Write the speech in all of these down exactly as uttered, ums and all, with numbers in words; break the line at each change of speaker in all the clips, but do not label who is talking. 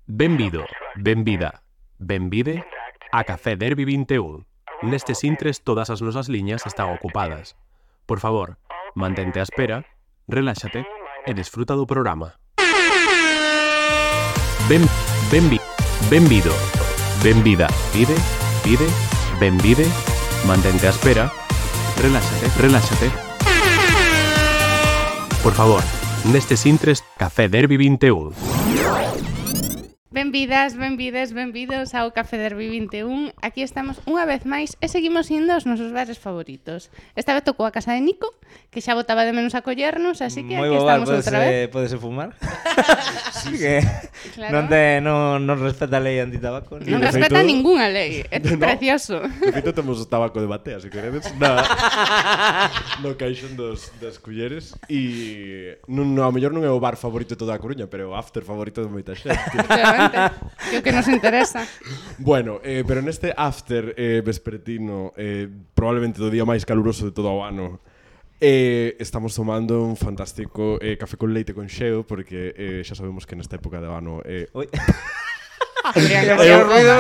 Benvido, benvida, benvide a Café Derby vinte e un. Nestes intres todas as nosas liñas están ocupadas. Por favor, mantente á espera, reláxate e desfruta do programa. Ben, benvi, benvido, benvida, pide, pide, benvide, mantente á espera, reláxate, reláxate. Por favor, nestes intres Café Derby vinte e un.
Benvidas, benvides, benvidos ao Café Derby vinte e un. Aquí estamos unha vez máis e seguimos indo aos nosos bares favoritos. Esta vez tocou a casa de Nico, que xa botaba de menos a collernos, así que
Moi
aquí
boa,
estamos outra vez.
Podese fumar? Sí, que
Claro.
non, te, non, non respeta a lei antitabaco.
Non
de
respeta
feito-
ningunha lei, é
No.
precioso.
De feito temos tabaco de batea, se queredes, na, no caixón dos, das culleres. E non, ao mellor non é o bar favorito de toda a Coruña, pero é o after favorito de moita xente.
Efectivamente, que é o que nos interesa.
Bueno, eh, pero neste after eh, vespertino, eh, probablemente do día máis caluroso de todo o ano, eh, estamos tomando un fantástico eh, café con leite con xeo, porque eh, xa sabemos que nesta época de ano... Eh,
Ui.
Adrián,
Quería
que
facer
eu-
o ruido.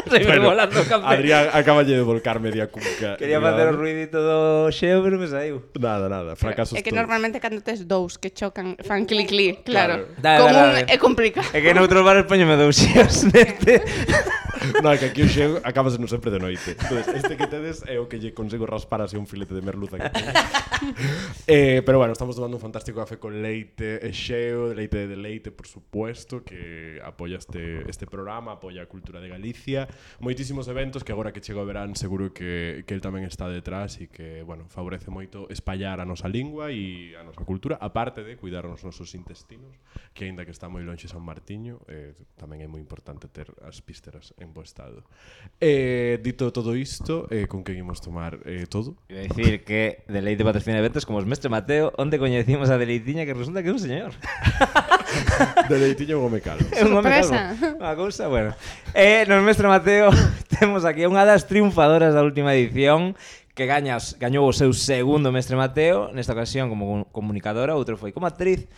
Se me
bueno,
volando o café.
Adrián acaballe de volcar media cunca.
Quería facer o ruidito do xeo, pero me saiu.
Nada, nada, fracasos
É que
todos.
normalmente cando tes dous que chocan fan clic clic, claro.
Claro.
Da,
Común
verdade.
é complicado.
É que noutros bares poñeme dous xeos neste.
No, é que aquí o xeo acabas no sempre de noite. Entonces, este que tedes é o que lle consigo raspar así un filete de merluza que teño. eh, Pero bueno, estamos tomando un fantástico café con leite e xeo, de leite de leite, por supuesto, que apoia este, este programa, apoia a cultura de Galicia. Moitísimos eventos que agora que chega o verán seguro que, que el tamén está detrás e que, bueno, favorece moito espallar a nosa lingua e a nosa cultura, aparte de cuidar os nosos intestinos, que aínda que está moi lonxe San Martiño, eh, tamén é moi importante ter as vísceras en bo estado. Eh, dito todo isto, eh, con que imos tomar eh, todo?
Iba a dicir que Deleite patrocina eventos como os Mestre Mateo, onde coñecimos a Deleitiña, que resulta que é un señor.
De leitiño o me calo.
É un home
Sorpresa.
calvo. Unha cousa, bueno. Eh, nos Mestre Mateo temos aquí unha das triunfadoras da última edición que gañas, gañou o seu segundo Mestre Mateo, nesta ocasión como comunicadora, outro foi como actriz.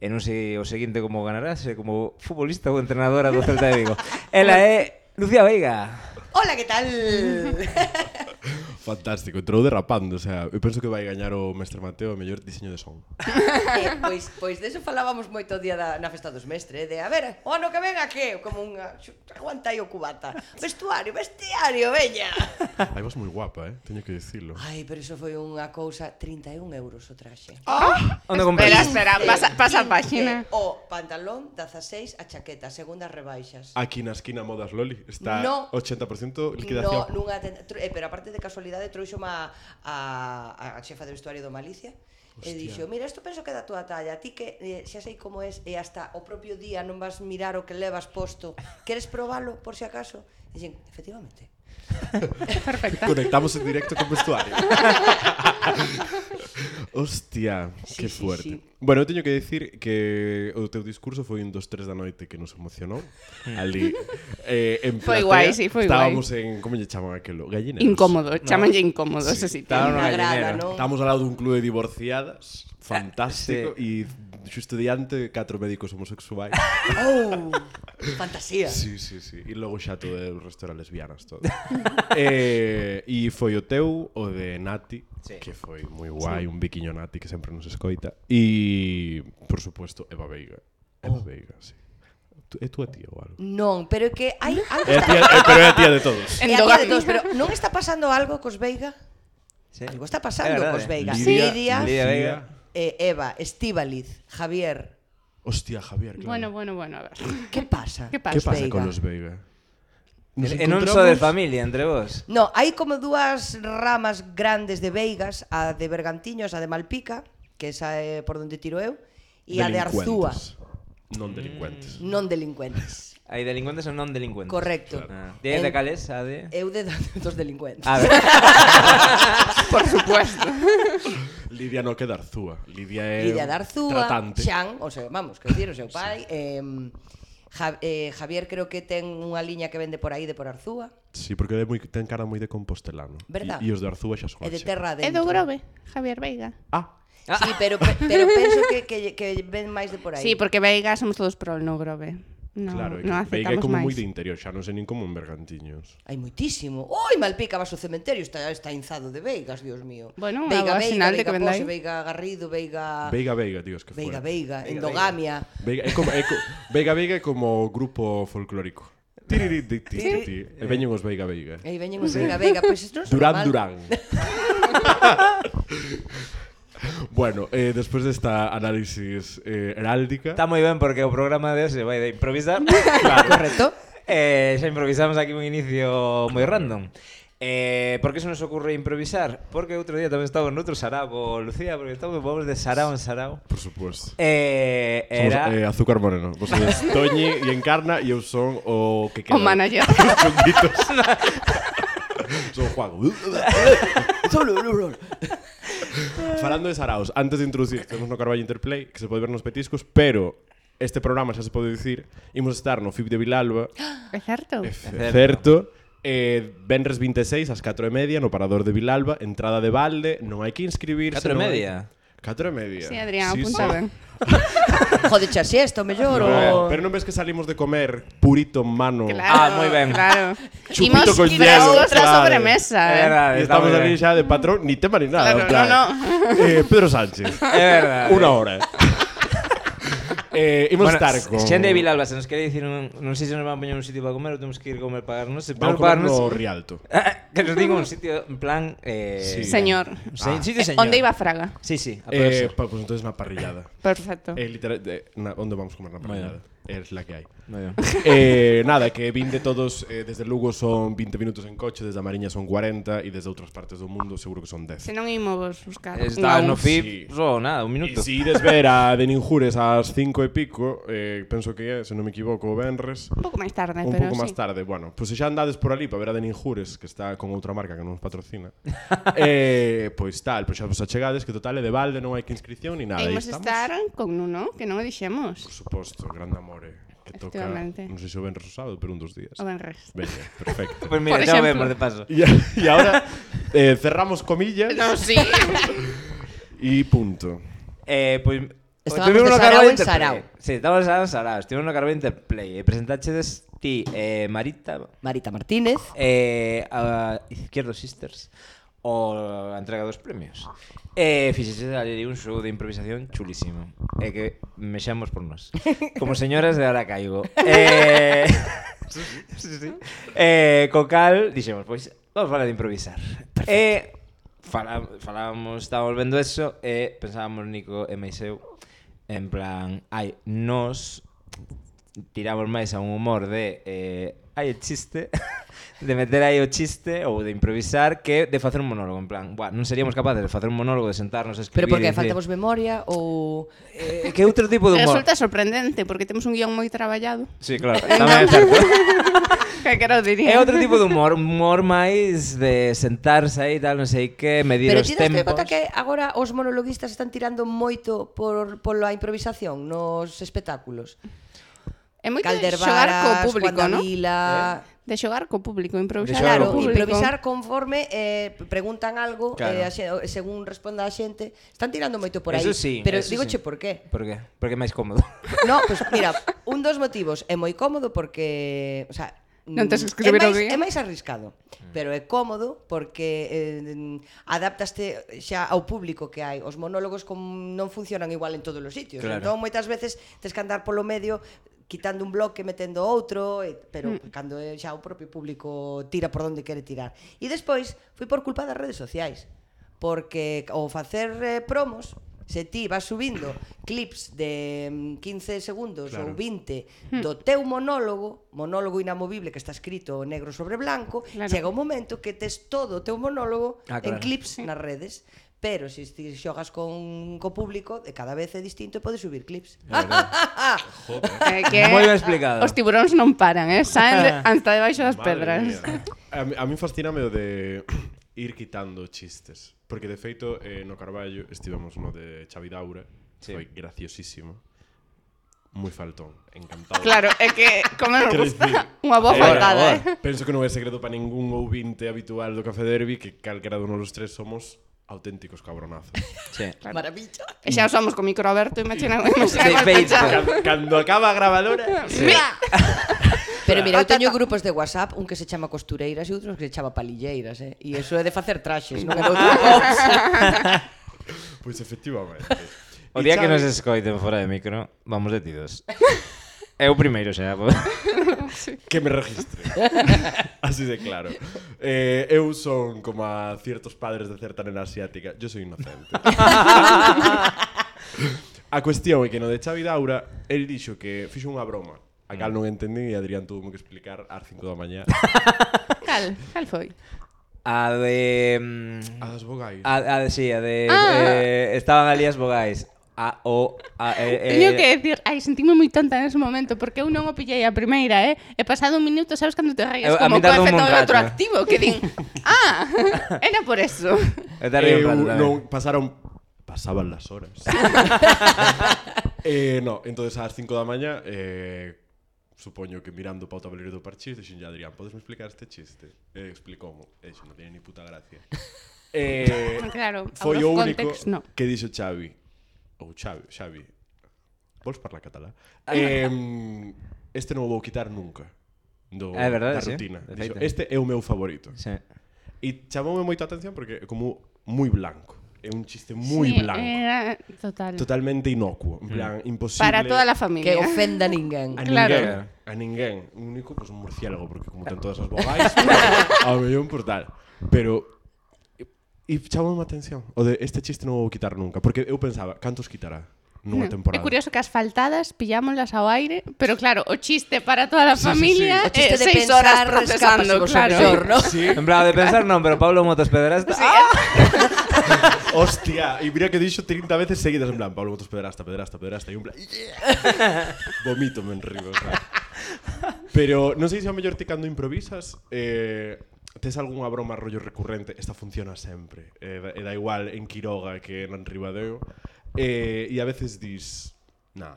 E non sei o seguinte como ganarase, como futbolista ou entrenadora do Celta de Vigo. Ela é Lucía Veiga.
Hola, que tal?
Fantástico, entrou derrapando, o sea, eu penso que vai gañar o Mestre Mateo o mellor diseño de son.
eh, pois, pois deso falábamos moito o día da, na festa dos mestres, de a ver, o ano que ven a que? Como unha... Aguanta aí o cubata. Vestuario, vestiario, veña.
Ai, vas moi guapa, eh, teño que dicirlo.
Ai, pero iso foi unha cousa, trinta e un euros o traxe.
Onde
Espera,
compras?
espera, pasa, pasa a páxina.
O pantalón, dezaseis, a chaqueta, segundas rebaixas.
Aquí na esquina Modas Loli está
No.
ochenta por ciento
No,
liquidación.
nunha tenda, tro- eh, pero aparte de casualidade trouxome a, a, a xefa de vestuario do Malicia. E
Hostia.
dixo, mira, isto penso que é da túa talla. Ti que eh, xa sei como es e hasta o propio día non vas mirar o que levas posto. Queres probalo, por si acaso? E dixen, efectivamente.
Perfecta.
Conectamos en directo con vestuario. Hostia,
Sí,
que
sí,
fuerte.
sí.
Bueno, eu teño que decir que o teu discurso foi un dos tres da noite que nos emocionou. Ali eh, en
Foi
platea,
guai, sí, foi
estábamos en, como lle chaman aquilo? Gallineros.
Incómodo, chamanlle incómodo,
Sí,
ese sitio.
estaba no
Me agrada,
gallinero.
non?
Estamos ao lado dun clube de divorciadas, fantástico, e xusto diante catro médicos homosexuais.
Oh, fantasía.
Sí, sí, sí. E logo xa todo o resto eran lesbianas todo. eh, e foi o teu, o de Nati,
Sí.
que foi moi guai, sí. Un biquiño Nati que sempre nos escoita. E, por suposto, Eva Veiga. Eva oh. Veiga, sí. Tu- É túa tía ou algo?
Non, pero é que hai algo
É a tía, é, pero é a tía de todos.
É a tía de
Endogami.
todos, pero non está pasando algo cos Veiga?
Sí.
Algo está pasando
É verdade.
cos Veiga.
Lidia-
Lidia,
Lidia Veiga.
eh, Eva, Estíbaliz, Javier.
Hostia, Javier, claro.
Bueno, bueno, bueno, a ver.
Que pasa?
Que
Que
pasa?
pasa
Veiga?
con los Veiga? Nos
E non
encontramos-
só de familia entre vos.
No, hai como dúas ramas grandes de Veigas, a de Bergantiños, a de Malpica, que esa é por onde tiro eu, e a de Arzúa,
Delincuentes. Non delincuentes.
non delincuentes.
Hai delincuentes ou non delincuentes.
Correcto.
Ah. De, de
En-
cales, a de...
Eu de dos delincuentes.
A ver.
Por supuesto.
Lidia no que de Arzúa. Lidia é
Lidia de Arzúa,
tratante.
Xan, o sea, vamos, quero dicir, o seu pai, eh, Ja, eh, Javier creo que ten unha liña que vende por aí de por Arzúa.
Sí, porque é moi, ten cara moi de compostelano.
Verdad?
E, e os de Arzúa xa son
E de
así.
terra
É
adentro.
do Grove, Javier Veiga.
Ah,
Sí, pero, pe- pero penso que, que, que ven máis de por aí.
Sí, porque Veiga somos todos pro no Grove. No,
Claro, é que
non
Veiga é
aceptamos
como
máis.
moi de interior, xa non sei nin como en Bergantiños.
Hai moitísimo. Oi, Malpica vas ao cementerio, está, está inzado de veigas, Dios mío.
Bueno, unha
Veiga,
boa
Veiga,
sinal de
Veiga
que vendai.
Pose, Veiga Garrido, Veiga...
Veiga Veiga, tío, es que
Veiga,
fuera.
Veiga, Endogamia.
Veiga, é como, é co, Veiga Veiga é como grupo folclórico. Tiriri, ti, ti, ti, ti. E veñen os Veiga Veiga.
Aí veñen os Veiga, Veiga, pois isto non son
Durán
mal.
Durán. Bueno, eh, despois desta análisis eh, heráldica,
Está moi ben porque o programa de hoxe vai de improvisar.
Claro, correcto.
Eh, xa improvisamos aquí un inicio moi random. Eh, por que se nos ocurre improvisar? Porque outro día tamén estamos noutro sarao, Lucía, porque estamos vamos de sarao en sarao.
por suposto.
Eh,
Somos
era
eh, Azúcar Moreno. Vos sois Toñi e Encarna e eu son o que queda.
O manager.
Chunguitos. Son Juan. Falando de saraos, antes de introducir, temos no Carballo Interplay, que se pode ver nos petiscos, pero este programa xa se pode dicir, imos estar no F I B de Vilalba,
É certo?
é
certo.
certo, eh, Venres vinte e seis ás catro e media no Parador de Vilalba, entrada de balde, non hai que inscribirse.
catro e
non hai-
media.
catro e media.
Sí, Adrián,
Sí,
apunta
sí.
ben.
Jode xa siesta, o mellor,
No,
o...
pero non ves que salimos de comer purito en mano.
Claro,
Ah, moi ben.
Claro.
Chupito
Imos
con
frescos
hielo,
da
claro.
sobremesa.
É
eh.
verdade,
E
está
estamos
moi
ali
ben.
xa de patrón, ni tema ni nada.
Claro,
en plan,
no,
Eh, Pedro Sánchez.
É verdade.
Una hora. eh, imos
Bueno,
estar con...
xente de Vilalba, se nos quere dicir un, non sei se nos van a poñer un sitio para comer ou temos que ir comer pagar, non sei,
Vamos a comer no Rialto.
Que nos diga un sitio en plan eh,
Sí.
Señor.
Se,
Ah.
sitio
Eh,
señor.
Onde iba Fraga?
Sí, sí, a
Eh,
eh,
pa, pues entonces na parrillada.
Perfecto.
Eh, literal, de, na, onde vamos a comer na
Moi
parrillada? Es la que hai.
Moi ben.
eh, nada, que vin de todos, eh, desde Lugo son veinte minutos en coche, desde a Mariña son cuarenta e desde outras partes do mundo seguro que son dez.
Se non imos buscar.
Está
un a
no
un.
F I B,
Sí.
só nada, un
E
minuto.
si ides ver a de Ninjures ás cinco e pico, eh, penso que é, se non me equivoco, o Benres,
Un pouco máis tarde,
un
pero
pouco
sí.
máis tarde. Bueno, pois pues se xa andades por ali para ver a de Ninjures, que está con outra marca que non nos patrocina, eh, pois tal, pois xa vos achegades, que total é de balde, non hai que inscripción ni nada.
E
aí
imos
estamos.
estar con Nuno, que non o dixemos.
Por suposto, grande amore, que toca,
Efectivamente.
non sei se o Benres ou sábado, pero un dos días.
O Benres.
Veña, perfecto.
Pois mira,
Por
xa o
exemplo.
vemos de paso.
E, e ahora eh, cerramos comillas
No, sí.
e punto.
Eh, pois
Estábamos
estuvimos
de
no
sarao
Carballo
en
Interplay.
sarao.
Sí, estábamos de sarao en sarao. Estivemos no Carballo Interplay. E presentachedes ti, eh, Marita,
Marita Martínez.
eh, a Izquierdo Sisters, o a entrega dos premios. E fixeche ali un show de improvisación chulísimo. E que mexamos por nós. Como señoras de ahora caigo. Eh, sí, sí. Eh, co cal, dixemos, pois, vamos falar de improvisar. E fala, falábamos, estábamos vendo eso e pensábamos Nico e máis eu en plan, ai, nos tiramos máis a un humor de eh, hai o chiste de meter aí o chiste ou de improvisar que de facer un monólogo, en plan, buah, non seríamos capaces de facer un monólogo, de sentarnos a escribir.
Pero porque
e dicir,
faltamos memoria ou...
eh, que outro tipo de humor?
Resulta sorprendente, porque temos un guión moi traballado.
Sí, claro, tamén é certo.
Que que non diría?
É outro tipo de humor, un humor máis de sentarse aí, tal, non sei que, medir
Pero
os
ti daste
tempos.
conta que agora os monologuistas están tirando moito por pola improvisación nos espectáculos?
É moito de xogar co
Caldervaras,
público,
Juan
non?
Davila...
De xogar co público, improvisar
De xogar
co
Claro,
público.
improvisar conforme eh, preguntan algo
Claro.
eh, a xe- según responda a xente. Están tirando moito por aí.
Eso sí,
pero
eso
dígoche
sí.
por qué.
Por qué? Porque é máis cómodo.
No, pues mira, un dos motivos é moi cómodo porque, o sea,
Non tes que
mm,
escribir
é
o
máis,
guión.
é máis arriscado, pero é cómodo porque eh, adaptaste xa ao público que hai. Os monólogos com, non funcionan igual en todos os sitios.
Claro.
Entón, moitas veces tes que andar polo medio quitando un bloque, metendo outro, e, pero mm. cando é xa o propio público tira por onde quere tirar. E despois, foi por culpa das redes sociais, porque ao facer eh, promos, se ti vas subindo clips de mm, quince segundos
Claro.
ou vinte do teu monólogo, monólogo inamovible que está escrito negro sobre blanco,
Claro.
chega un momento que tes todo o teu monólogo
Ah,
en
claro.
clips nas redes. Pero se ti xogas con co público, de cada vez é distinto e podes subir clips.
É que
Moi ben explicado.
Os tiburóns non paran, eh? Saen de, hasta debaixo das
Madre
pedras.
mía. A, mí- a mí fascíname o de ir quitando chistes. Porque de feito, eh, no Carballo estivemos no de Xavi Daura,
Sí.
foi graciosísimo. Moi faltón, encantado.
Claro, é que como nos
Quero
gusta
dicir,
unha boa
eh,
faltada, eh?
Penso que non é secreto para ningún ouvinte habitual do Café Derby que calquera de uno dos tres somos auténticos cabronazos.
Sí.
Claro.
Maravilla.
E xa somos con micro aberto, imagina,
De
imagina
feito.
Cando, cando acaba a grabadora...
Mira. Pero mira, eu teño grupos de WhatsApp, un que se chama costureiras e outros que se chama palilleiras, eh? E iso é de facer traxes, non é de outra cousa.
Pois efectivamente.
O
E
día que
Xavi-
nos escoiten fora de micro, vamos detidos. É o primeiro xa.
Que me registre. Así de claro. Eh, eu son como a ciertos padres de certa nena asiática. Yo soy inocente. A cuestión é que no de Xavi Daura, el dixo que fixo unha broma. A cal non entendí e Adrián tuvo que explicar ás cinco da mañá.
Cal, cal foi?
A de... mm,
A das vogais.
A, a de, sí, a de...
Ah.
Eh, estaban ali as vogais. A, o, a, e,
Teño
e...
que decir, ai, sentime moi tonta nese momento porque eu non o pillei a primeira, eh? E pasado un minuto, sabes cando te rayas
Eu- a
como
min
co
tardou un
efecto
rato.
retroactivo que din, ah, era por eso.
Eu tardei un
Eu
rato tamén.
non pasaron pasaban las horas. eh, no, entonces ás cinco da mañá eh, supoño que mirando pa o tablero do parchís dixen ya Adrián, podes me explicar este chiste? E explicoumo, e iso non tiene ni puta gracia. Eh,
Claro,
foi
out
o
of
único
context, no.
que dixo Xavi. Ou Xavi, Xavi. Vols parlar catalá? Eh, este non o vou quitar nunca. Do,
É verdade,
da
sí,
rutina.
de
Dixo,
feito.
este é o meu favorito.
Sí.
E chamoume moita atención porque é como moi blanco. É un chiste moi
Sí,
blanco.
Era total.
Totalmente inocuo, en plan, imposible
Para toda la
Que
familia.
ofenda a ninguén.
a
Claro.
ninguén, a ninguén. Un único, pues, un murciélago, porque como ten todas as vogais, ao mellor por tal. Pero e chamoume a atención o de este chiste non o vou quitar nunca, porque eu pensaba, cantos quitará nunha
É
temporada?
curioso que as faltadas pillámoslas ao aire, pero claro, o chiste para toda a
Sí, sí,
familia
O chiste
é
de
seis
pensar
horas
escápase
procesando,
vos
claro.
mellor, ¿no?
Sí,
En plan, de pensar non, pero Pablo Motos Pedrasta...
Sí,
¡Ah!
hostia, e mira que dixo trinta veces seguidas en plan, Pablo Motos Pedrasta, Pedrasta, Pedrasta, e un plan, yeah! Vomito me enribo, o sea. Pero non sei se ao mellor ti cando improvisas, eh, tes algunha broma rollo recurrente, esta funciona sempre, eh, e da igual en Quiroga que en Ribadeo, eh, e a veces dis, nah,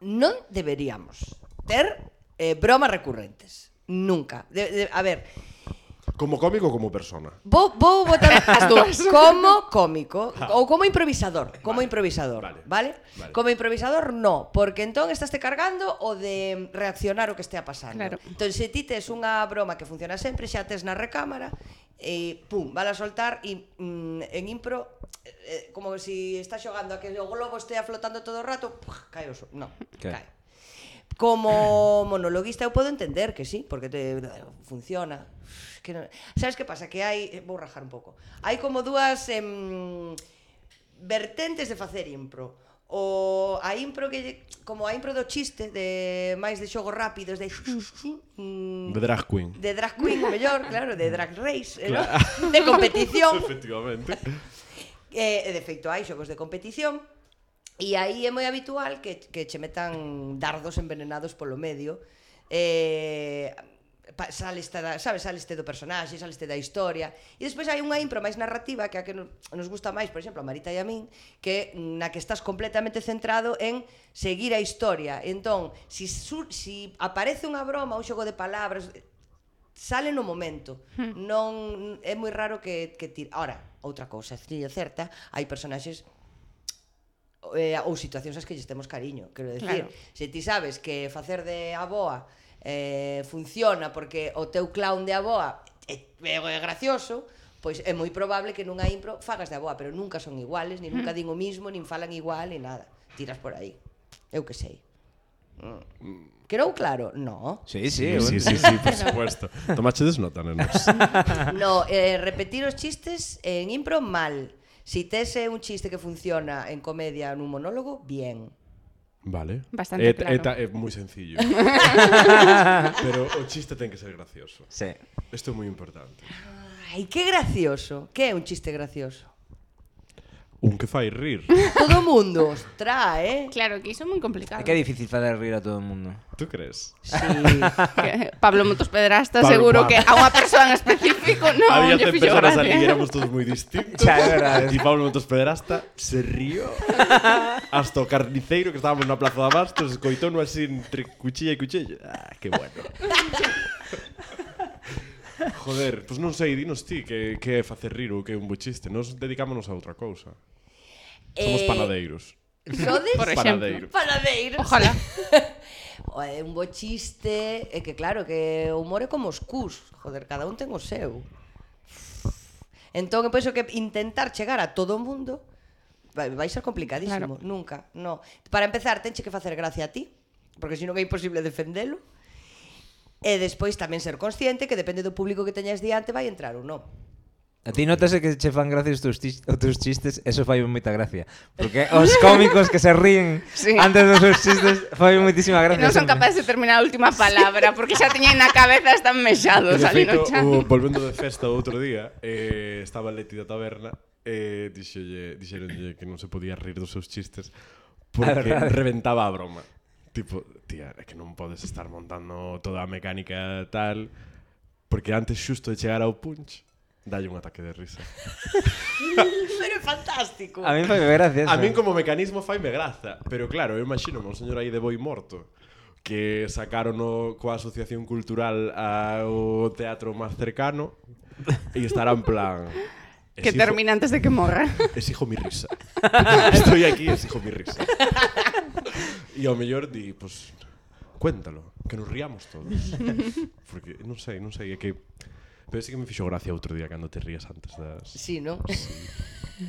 Non deberíamos ter eh, bromas recurrentes. Nunca. De, de, a ver,
como cómico ou como persona?
vou, vou botar as
dúas.
como cómico ou como improvisador, como
Vale.
improvisador,
Vale.
vale.
Vale.
Como improvisador no, porque entón estáste cargando o de reaccionar o que estea pasando.
Claro.
Entón se ti tes unha broma que funciona sempre, xa tes na recámara e pum, vala a soltar e mm, en impro eh, como si está xogando a que o globo estea flotando todo o rato, puf, cae o so, no,
Que?
cae. Como monologuista eu podo entender que sí, porque te funciona. Que non, sabes que pasa? Que hai, vou rajar un pouco. Hai como dúas em, vertentes de facer impro. O a impro que lle- como a impro do chiste de máis de xogos rápidos de mm,
De drag queen.
de drag queen, o mellor, claro, de drag race, eh, ¿no? De competición.
Efectivamente.
E, e de feito hai xogos de competición e aí é moi habitual que, que che metan dardos envenenados polo medio eh, pa, saleste da, sabes, saleste do personaxe, saleste da historia e despois hai unha impro máis narrativa que a que nos, nos gusta máis, por exemplo, a Marita e a min que na que estás completamente centrado en seguir a historia entón, si, sur, si aparece unha broma, un xogo de palabras sale no momento. Non é moi raro que que tire. Ahora, outra cousa, é certa, hai personaxes eh, ou situacións ás que lles temos cariño, quero decir,
Claro.
se ti sabes que facer de aboa eh, funciona porque o teu clown de aboa é, é gracioso, pois é moi probable que nunha impro fagas de aboa, pero nunca son iguales, ni nunca din o mismo, nin falan igual, ni nada. Tiras por aí. Eu que sei. Mm. Quedou claro? No.
Sí, sí,
Sí, sí, sí, sí, por supuesto. Tomachedes nota, nenos.
No, eh, repetir os chistes en impro mal. Si tes eh, un chiste que funciona en comedia nun monólogo, bien.
Vale.
Bastante
é,
claro.
É, ta- é moi sencillo. Pero o chiste ten que ser gracioso.
Sí.
Isto é moi importante.
Ai, que gracioso. Que é un chiste gracioso?
Un que fai rir.
Todo o mundo, ostra, eh?
Claro, que iso é moi complicado.
É que é difícil fazer rir a todo o mundo.
Tú crees?
Sí.
Que Pablo Motos Pedrasta
Pablo,
seguro
Pablo.
que a unha persoa en específico non
Había
lle
cen
fixo
personas ali
gracia.
e éramos todos moi distintos.
Xa, é verdade.
E Pablo Motos Pedrasta se rió. Hasta o carniceiro que estábamos na Plaza de Abastos escoitou-no así entre cuchilla e cuchilla. Ah, que bueno. Joder, pois non sei, dinos ti que, que é facer rir ou que é un bo chiste. Nos dedicámonos a outra cousa. Somos
Eh,
panadeiros.
Sodes?
Por exemplo.
Panadeiros.
Panadeiros.
Ojalá.
É un bo chiste, é que claro, que o humor é como os cus. Joder, cada un ten o seu. Entón, eu penso que intentar chegar a todo o mundo vai, vai ser complicadísimo.
Claro.
Nunca, no. Para empezar, tenche que facer gracia a ti, porque senón é imposible defendelo. E despois tamén ser consciente que depende do público que teñas diante vai entrar ou non.
A ti notase que che fan gracia os teus, tis- os teus chistes, eso fai moita gracia. Porque os cómicos que se ríen
Sí.
antes dos seus chistes fai moitísima
Que
gracia.
non son
sempre.
capaces de terminar a última palabra, porque xa teñen na cabeza, están
Que
mexados
de
ali
feito,
no chan.
o, volvendo de festa o outro día, eh, estaba Leti da taberna e eh, dixolle, dixeronlle que non se podía rir dos seus chistes porque
verdade.
reventaba a broma. Tipo, tía, é que non podes estar montando toda a mecánica tal porque antes xusto de chegar ao punch dalle un ataque de risa.
Pero é fantástico.
A mí fai gracia.
A min como mecanismo faime graza, pero claro, eu imagino un señor aí de boi morto que sacaron o, coa asociación cultural ao teatro máis cercano e estará en plan
Que
exijo-
termina antes de que morra.
Exijo mi risa. Estoy aquí, exijo mi risa. E ao mellor di, pues, cuéntalo, que nos riamos todos. Porque non sei, non sei, é que pero sí que me fixo gracia outro día cando te rías antes das...
Sí, non?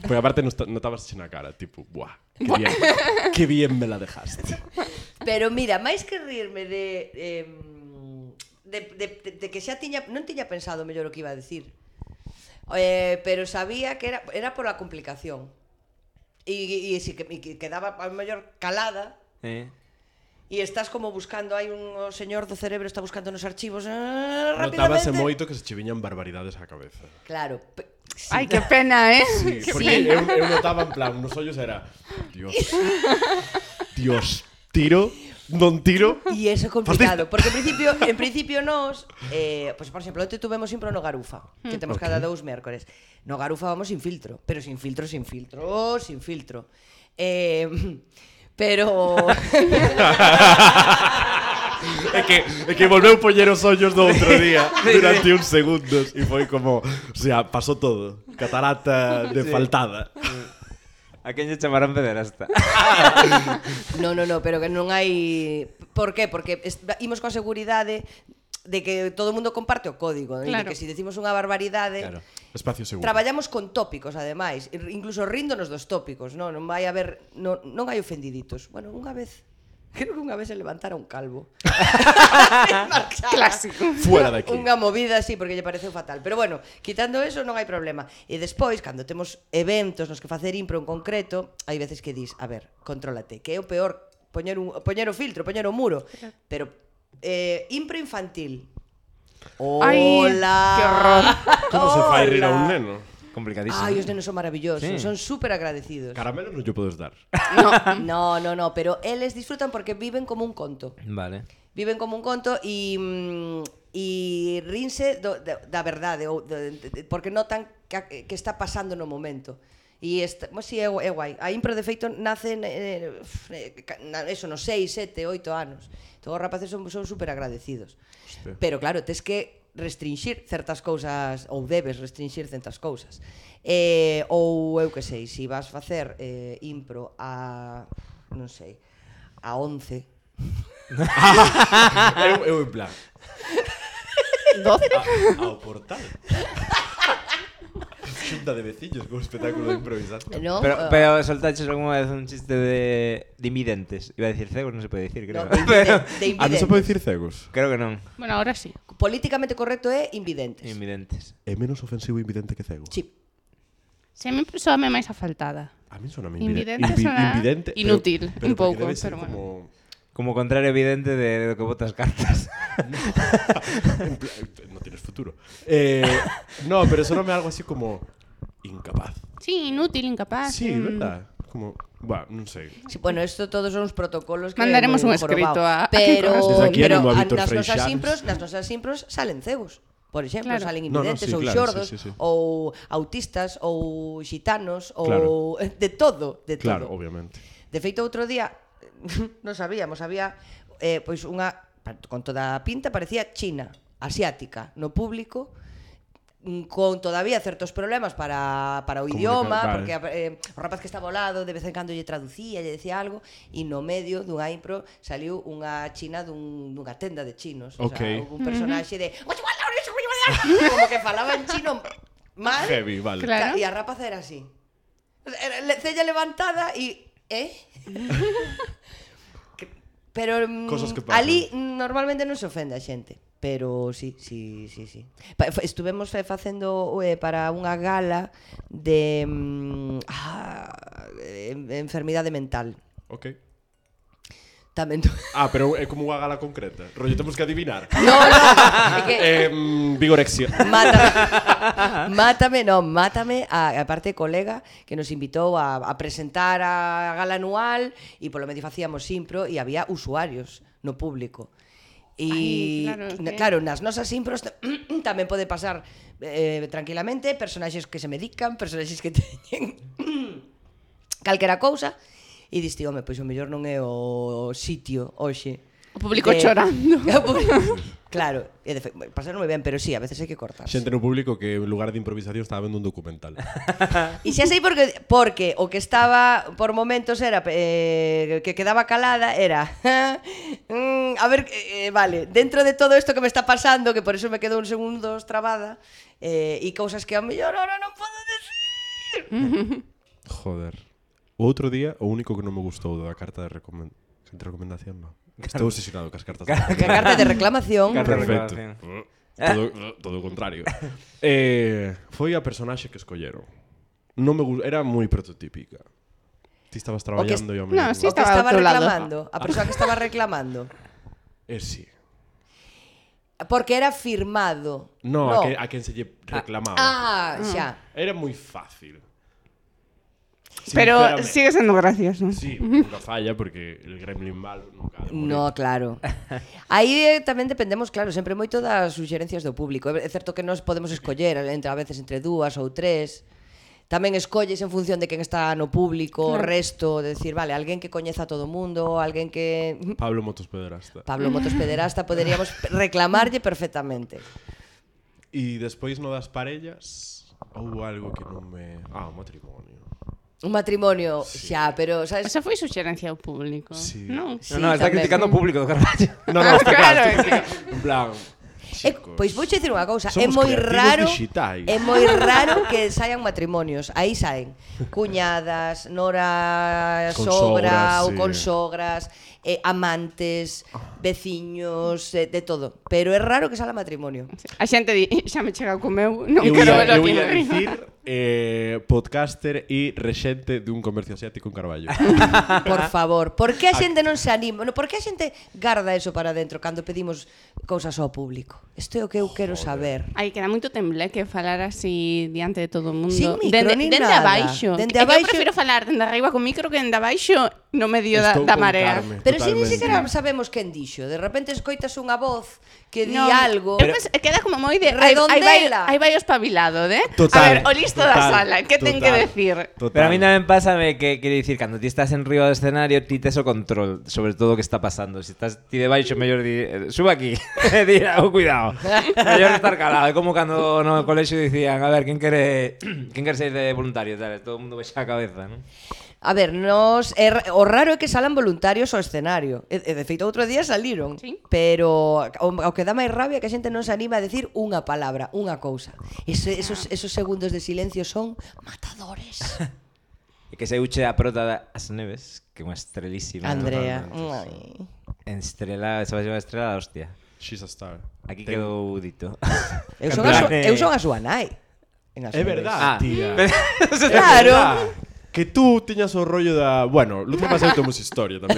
Porque aparte not- notabas na cara, tipo, buah, que bien, que bien me la dejaste.
Pero mira, máis que rirme de, eh, de, de, de, de que xa tiña, non tiña pensado mellor o que iba a decir. Eh, pero sabía que era, era por la complicación. E, e, si que, e que quedaba a mellor calada.
Eh.
E estás como buscando, hai un o señor do cerebro está buscando nos archivos ah,
Notábase
rapidamente.
moito que se che viñan barbaridades á cabeza.
Claro. pe- sí.
Ai, que pena, eh?
Sí,
Que
porque
pena.
eu, eu notaba en plan, nos ollos era Dios, Dios, tiro, non tiro.
E iso é complicado, porque en principio, en principio nós, eh, pues, por exemplo, onte tuvemos impro no Garufa, que temos cada dous mércores. No Garufa vamos sin filtro, pero sin filtro, sin filtro, sin filtro. Eh, pero
É que, é que volveu poñer os ollos do outro día durante uns segundos e foi como, o sea, pasou todo. Catarata de
Sí.
faltada.
A quen lle chamarán pederasta?
no, no, no, pero que non hai. Por qué? Porque est- imos con seguridade de que todo o mundo comparte o código, e de
Claro.
que se decimos unha barbaridade,
Claro.
Espacio seguro.
traballamos con tópicos, ademais, e incluso ríndonos dos tópicos, non, non vai haber, non, non hai ofendiditos. Bueno, unha vez, creo que unha vez se levantara un calvo.
Clásico.
Fuera de aquí.
Unha movida así porque lle pareceu fatal. Pero bueno, quitando eso non hai problema. E despois, cando temos eventos nos que facer impro en concreto, hai veces que dis, a ver, contrólate, que é o peor poñer, un, poñer o filtro, poñer o muro. Pero eh, impro infantil.
Ai,
Hola.
que horror.
Como se fai rir a un
Hola.
neno?
Complicadísimo.
Ai, os nenos son maravillosos,
Sí.
son súper agradecidos.
Caramelo non lle podes dar.
No, no, no, pero eles disfrutan porque viven como un conto.
Vale.
Viven como un conto e mm, e rinse do, da, da verdade ou de, de, porque notan que, que está pasando no momento. E esta, pues, sí, é, gu- é guai. A impro de feito nace eh, eh, na, eso, nos seis, sete, oito anos. Entón os rapaces son, son super agradecidos.
Hostia.
Pero claro, tes que restringir certas cousas ou debes restringir certas cousas. Eh, ou eu que sei, se si vas facer eh, impro a non sei, a once.
eu, eu en plan,
doce.
a, ao portal. Xunta de veciños con espectáculo de improvisación.
No,
Pero,
Ah.
pero soltaches algunha vez un chiste de, de invidentes. Iba a decir cegos, non se pode decir, creo.
No, de, invide- de
Ah, non se pode
invidentes.
dicir cegos?
Creo que non.
Bueno, ahora sí.
Políticamente correcto é invidentes.
Invidentes.
É menos ofensivo invidente que cego?
Sí.
Se a mí soame máis afaltada.
A mí sona
Invidente
invi-
sona
invidente, pero-
inútil,
pero
un
porque
pouco,
debe ser
pero bueno.
como...
Como contrario evidente de, de lo que botas cartas.
En plan, no tienes futuro. Eh, no, pero soname algo así como incapaz.
Sí, inútil, incapaz.
Sí,
mm.
verdad. Como, bueno, non sei.
Sí, bueno, esto todos son uns protocolos que
Mandaremos
é moi
un escrito
jorobao.
a- a
pero,
Kiko
Desde aquí
pero
animo a
a-
Víctor
nas nosas
Freixanes.
impros, nas nosas impros salen cegos. Por exemplo,
Claro.
salen
No, no,
invidentes
sí,
ou
claro,
xordos
sí, sí, sí.
ou autistas ou xitanos ou
Claro.
de todo, de todo.
Claro, obviamente.
De feito, outro día non sabíamos, había eh, pois unha con toda a pinta parecía China asiática no público, con todavía certos problemas para, para o idioma,
Comunicar,
porque eh, o rapaz que estaba ao lado de vez en cando lle traducía, lle decía algo, e no medio dunha impro saliu unha china dun, dunha tenda de chinos. O
Ok.
sea, houve un personaxe de como que falaba en chino mal,
Heavy, vale.
Claro.
e a rapaza era así. Era le- cella levantada e... Eh? Que- Pero mm,
Cosas que pasan.
ali normalmente non se ofende a xente. Pero sí, sí, sí, sí. Pa- fa- Estuvemos fe- facendo eh, para unha gala de mm, ah, em- enfermidade mental.
Ok.
Tamén tu...
Ah, pero é como unha gala concreta. Rollo, temos que adivinar.
No, no, é que
Eh, mm, vigorexia.
Mátame, mátame, non, mátame a, a parte colega que nos invitou a, a presentar a gala anual e polo medio facíamos impro e había usuarios no público. E
Ai, claro,
na-
que-
claro, nas nosas impros t- tamén pode pasar eh, tranquilamente personaxes que se medican, personaxes que teñen calquera cousa e diste, home, pois o mellor non é o sitio hoxe.
O público chorando.
O público- Claro, e de fe... pasaron moi ben, pero sí, a veces hai que cortar.
Xente no público que en lugar de improvisación estaba vendo un documental.
E xa sei porque, porque o que estaba por momentos era eh, que quedaba calada era mm, a ver, eh, vale, dentro de todo isto que me está pasando, que por eso me quedo un segundos trabada, eh, e cousas que a mellor ahora non podo decir.
Joder. O outro día, o único que non me gustou da carta de, recomen... de recomendación, non. Estou obsesionado cas cartas de
Que a carta de reclamación.
Carta de
Perfecto.
reclamación.
Todo, todo o contrario. Eh, foi a personaxe que escolleron. Non me gu- era moi prototípica. Ti estabas traballando e ao
No,
mesmo
sí,
O que
estaba
estaba
ao teu lado.
reclamando, a persoa que estaba reclamando.
Eh, sí.
Porque era firmado.
No, A, que, a quen se lle reclamaba.
Ah, xa.
Era moi fácil.
Pero
Sinceramente.
sigue sendo gracioso.
Sí, nunca falla porque el gremlin malo nunca ha de morir.
No, claro. Aí eh, tamén dependemos, claro, sempre moito das suxerencias do público. É certo que nós podemos escoller entre, a veces entre dúas ou tres. Tamén escolles en función de quen está no público, o
Claro.
resto, de decir, vale, alguén que coñeza a todo o mundo, alguén que...
Pablo Motos Pederasta.
Pablo Motos Pederasta poderíamos reclamarlle perfectamente.
E despois no das parellas houve algo que non me... Ah, o matrimonio.
Un matrimonio, xa, pero, sabes...
Esa foi suxerencia ao público.
Sí.
Non?
Sí,
No, no, está
tamén.
criticando o público do Carballo.
No, no, está
Claro,
claro.
é que-
En plan...
É,
chicos,
pois vou dicir unha cousa, é
somos
moi
creativos
raro,
dixitais.
é moi raro que saian matrimonios. Aí saen cuñadas, nora
Con
sogra
sogras,
ou
sí.
con sogras, eh, amantes, veciños, eh, de todo. Pero é raro que sala matrimonio.
A xente di, xa me chega co meu, non
Eu
quero
ia,
verlo
eu
aquí.
ia
no
dicir eh, podcaster e rexente dun comercio asiático en Carballo.
Por favor, por que a xente non se anima? No, por que a xente garda eso para dentro cando pedimos cousas ao público? Isto é o que eu quero saber.
Ai, que era moito tembleque falar así diante de todo o mundo.
Sin micro,
dende,
nin
dende
nada.
abaixo.
Dende
É que
abaixo-
Eu prefiro falar dende arriba con micro que dende abaixo no medio da,
Estou
da
con
marea.
Carme.
Pero si ni
Totalmente.
siquiera sabemos quen dixo. De repente escoitas unha voz que di
Non,
algo.
Eu penso, queda como moi de aí, aí vai,
Redondela.
aí vai o espabilado, de?
Total,
A ver, o listo da
total,
sala, que ten que
total.
decir?
Total.
Pero a mí tamén pásame que, quere dicir, cando ti estás en riba do escenario, ti tes o control sobre todo o que está pasando. Se estás ti debaixo, mellor di, eh, suba aquí. Di, oh, cuidado. Mellor estar calado. É como cando no colexio dicían, a ver, quen quere quen quere ser de voluntario, tal, todo o mundo baixa a cabeza, non?
A ver, nos é, ra- o raro é que salan voluntarios ao escenario. E, e de feito outro día saliron.
Sí.
Pero o, o que dá máis rabia é que a xente non se anima a decir unha palabra, unha cousa. Ese, esos, esos segundos de silencio son matadores.
E que se uche a prota das Neves, que é unha estrelísima.
Andrea.
totalmente,
Ai.
En estrela, se vai chamar estrela da hostia.
She's a star.
Aquí
Ten-
quedou dito.
Eu
En
son, a
plan,
su,
eh,
eu son a súa nai. En As
É
Neves.
verdad,
Ah.
tía.
Claro.
Que tú tiñas o rollo da... Bueno, Lucia Paseo temos historia tamén.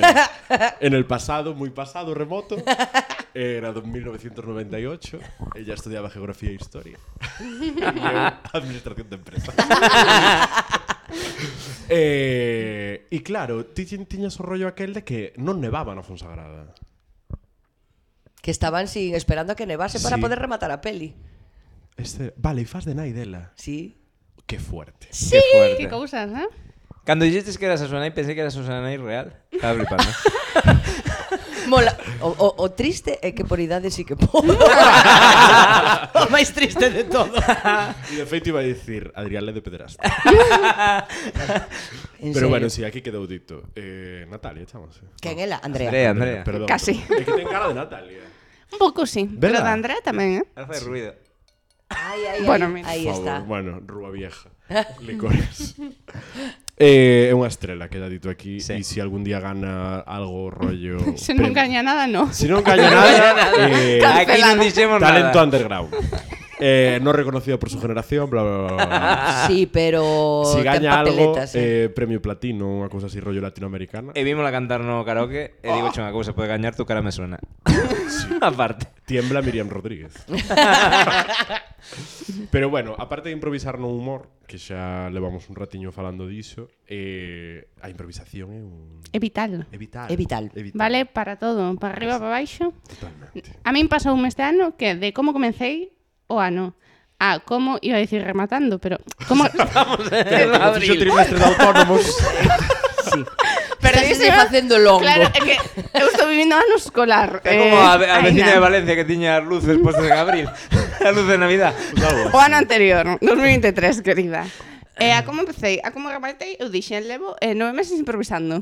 En el pasado, moi pasado, remoto, era do mil novecientos noventa e ocho, ella estudiaba geografía e historia. E eu, administración de empresa. eh, e claro, ti ti- tiñas o rollo aquel de que non nevaba na Fonsagrada.
Que estaban sin esperando a que nevase para
Sí.
poder rematar a peli.
Este, vale, e faz de nai dela.
Sí.
Que fuerte.
Sí, que fuerte.
Que cousas, eh?
Cando dixestes que eras a súa nai, pensei que eras a súa nai real. Estaba flipando.
Mola. O, o, o triste é que por idade sí que podo. O máis triste de todo.
E de feito iba a dicir Adrián le de pederasta.
En
Pero
serio.
bueno, si, sí, aquí quedou dito. Eh, Natalia, chamase.
Quen ela? Andrea.
Andrea, Andrea.
Perdón.
Casi.
É que ten cara de Natalia.
Un pouco sí, pero
¿Verdad?
de Andrea tamén, eh?
Ahora fai ruido.
Ai, ai,
Bueno,
ai,
mira.
aí
Por
está.
favor, bueno, rúa vieja. Licores. Eh, é unha estrela, queda dito aquí.
Sí.
E se algún día gana algo rollo...
Se non
premio-
gaña nada, no.
Se non gaña nada, eh,
Aquí non dixemos
talento
nada.
underground. Eh, no reconocido por su generación, bla, bla, bla, bla.
Sí, pero
Si
ten
gaña algo,
papeletas, eh.
eh, premio platino, unha cousa así rollo latinoamericana.
E vimosla cantar no karaoke e digo unha cousa, pode gañar, tu cara me suena. Aparte.
Tiembla Miriam Rodríguez. Pero bueno, aparte de improvisar no humor, que xa levamos un ratiño falando diso, eh, a improvisación é un...
É vital.
É vital.
É vital.
É vital.
Vale para todo, para arriba, para baixo.
Totalmente.
A min pasou este ano que de como comecei o ano a como, iba a dicir rematando, pero como...
Como fixo o trimestre de autónomos.
Sí.
Pero
Estás
dice-
facendo longo.
Claro, é que eu estou vivindo ano escolar.
É como a, a
ai,
vecina de
na.
Valencia que tiña as luces postas en abril. A luz de Navidad.
O ano anterior, dos mil vinte e tres, querida. E a como empecei, a como rematei, eu dixen, levo eh, nove meses improvisando.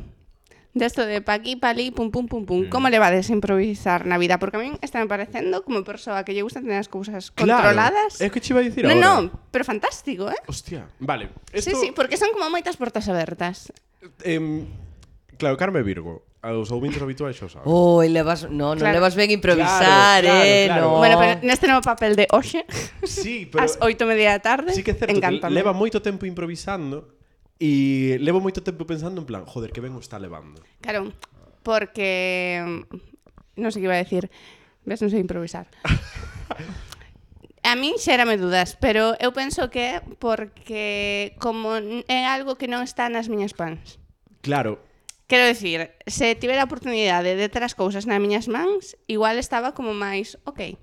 Desto de pa aquí, pa ali, pum, pum, pum, pum. Como levades a improvisar na vida? Porque a min está me parecendo como persoa que lle gusta tener as cousas controladas.
É que che iba a dicir
No,
agora.
no, pero fantástico, eh?
Hostia, vale.
Sí,
Esto,
sí, porque son como moitas portas abertas.
em, claro, Carme Virgo, aos ouvintes habituais xa o saben.
Oi, levas, no, non
Claro.
levas ben improvisar,
Claro, claro,
eh,
claro.
no.
Bueno, pero neste novo papel de hoxe,
Sí, pero
ás oito e media da tarde,
sí que é certo que
encántame.
leva moito tempo improvisando e levo moito tempo pensando en plan, joder, que ben o está levando.
Claro, porque... Non sei que iba a decir. Ves, non sei improvisar. A min xérame dudas, pero eu penso que é porque como é algo que non está nas miñas pans.
Claro,
Quero decir, se tivera a oportunidade de ter as cousas nas miñas mans, igual estaba como máis, ok.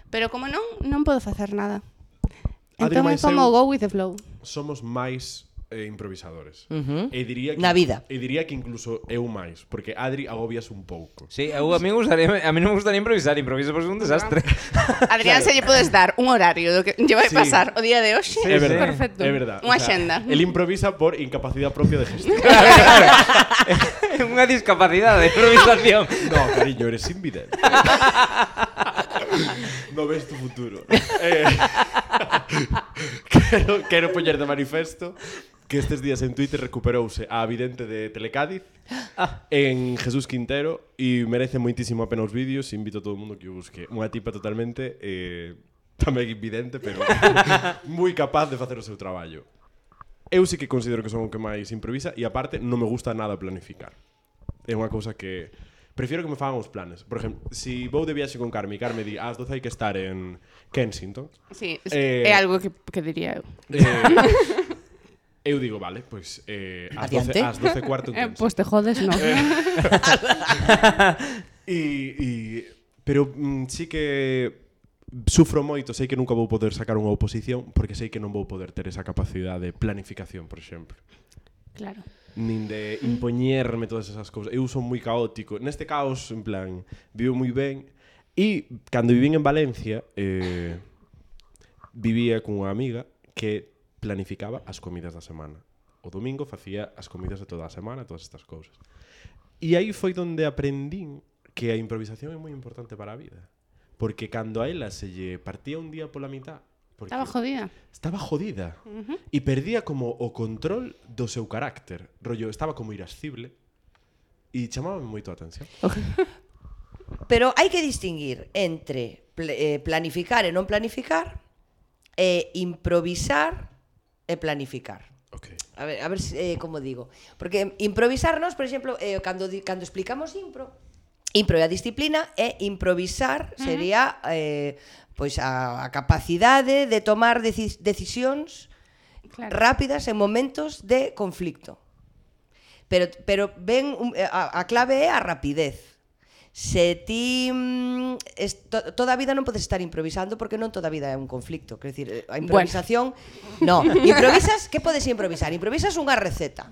Pero como non, non podo facer nada.
Adri,
Entón é
mais
como
eu-
go with the flow.
somos máis eh, improvisadores.
Ujú.
E diría que,
Na vida.
E diría que incluso eu máis, porque Adri agobias un pouco.
Sí, eu, a mí me gustaría, a mí non me gustaría improvisar, improviso por ser un desastre.
Adrián, se lle podes dar un horario do que lle vai
Sí.
pasar o día de hoxe,
Sí,
É
sí.
verdad,
perfecto.
é verdad.
Unha
O sea,
axenda.
El improvisa por incapacidade propia de gestión.
É unha discapacidade de improvisación.
No, cariño, eres invidente. No ves tu futuro. Eh, quero, quero poñer de manifesto que estes días en Twitter recuperouse a vidente de Telecádiz en Jesús Quintero e merece moitísimo a pena os vídeos. Invito a todo o mundo que o busque. Unha tipa totalmente eh, tamén invidente, pero moi capaz de facer o seu traballo. Eu sí que considero que son o que máis improvisa e aparte non me gusta nada planificar. É unha cousa que prefiero que me fagan os planes. Por exemplo, si vou de viaxe con Carme e Carme di ás doce hai que estar en Kensington,
Sí,
Eh,
é algo que, que diría eu.
eh, eu digo, vale, pois eh, ás doce,
Adiante.
ás doce cuarto en
Eh,
Kensington.
pois te jodes, non.
E, e, pero mm, sí que sufro moito, sei que nunca vou poder sacar unha oposición porque sei que non vou poder ter esa capacidade de planificación, por exemplo.
Claro.
Nin de impoñerme todas esas cousas. Eu son moi caótico. Neste caos, en plan, vivo moi ben. E cando vivín en Valencia, eh, vivía con unha amiga que planificaba as comidas da semana. O domingo facía as comidas de toda a semana, todas estas cousas. E aí foi donde aprendín que a improvisación é moi importante para a vida. Porque cando a ela se lle partía un día pola mitad, porque
Estaba jodida.
estaba jodida e perdía como o control do seu carácter. Rollo, estaba como irascible e chamábame moito a atención.
Pero hai que distinguir entre pl- eh, planificar e non planificar e improvisar e planificar.
Ok.
A ver, a ver se, eh, como digo. Porque improvisarnos, por exemplo, eh, cando, di- cando explicamos impro, impro é a disciplina e improvisar sería eh, pois a, a capacidade de tomar deci- decisións
Claro.
rápidas en momentos de conflicto. Pero, pero ven, un- a, a clave é a rapidez. Se ti mm, es, to, toda a vida non podes estar improvisando porque non toda a vida é un conflicto. Quer decir, a improvisación... Bueno. No, improvisas, que podes improvisar? Improvisas unha receta.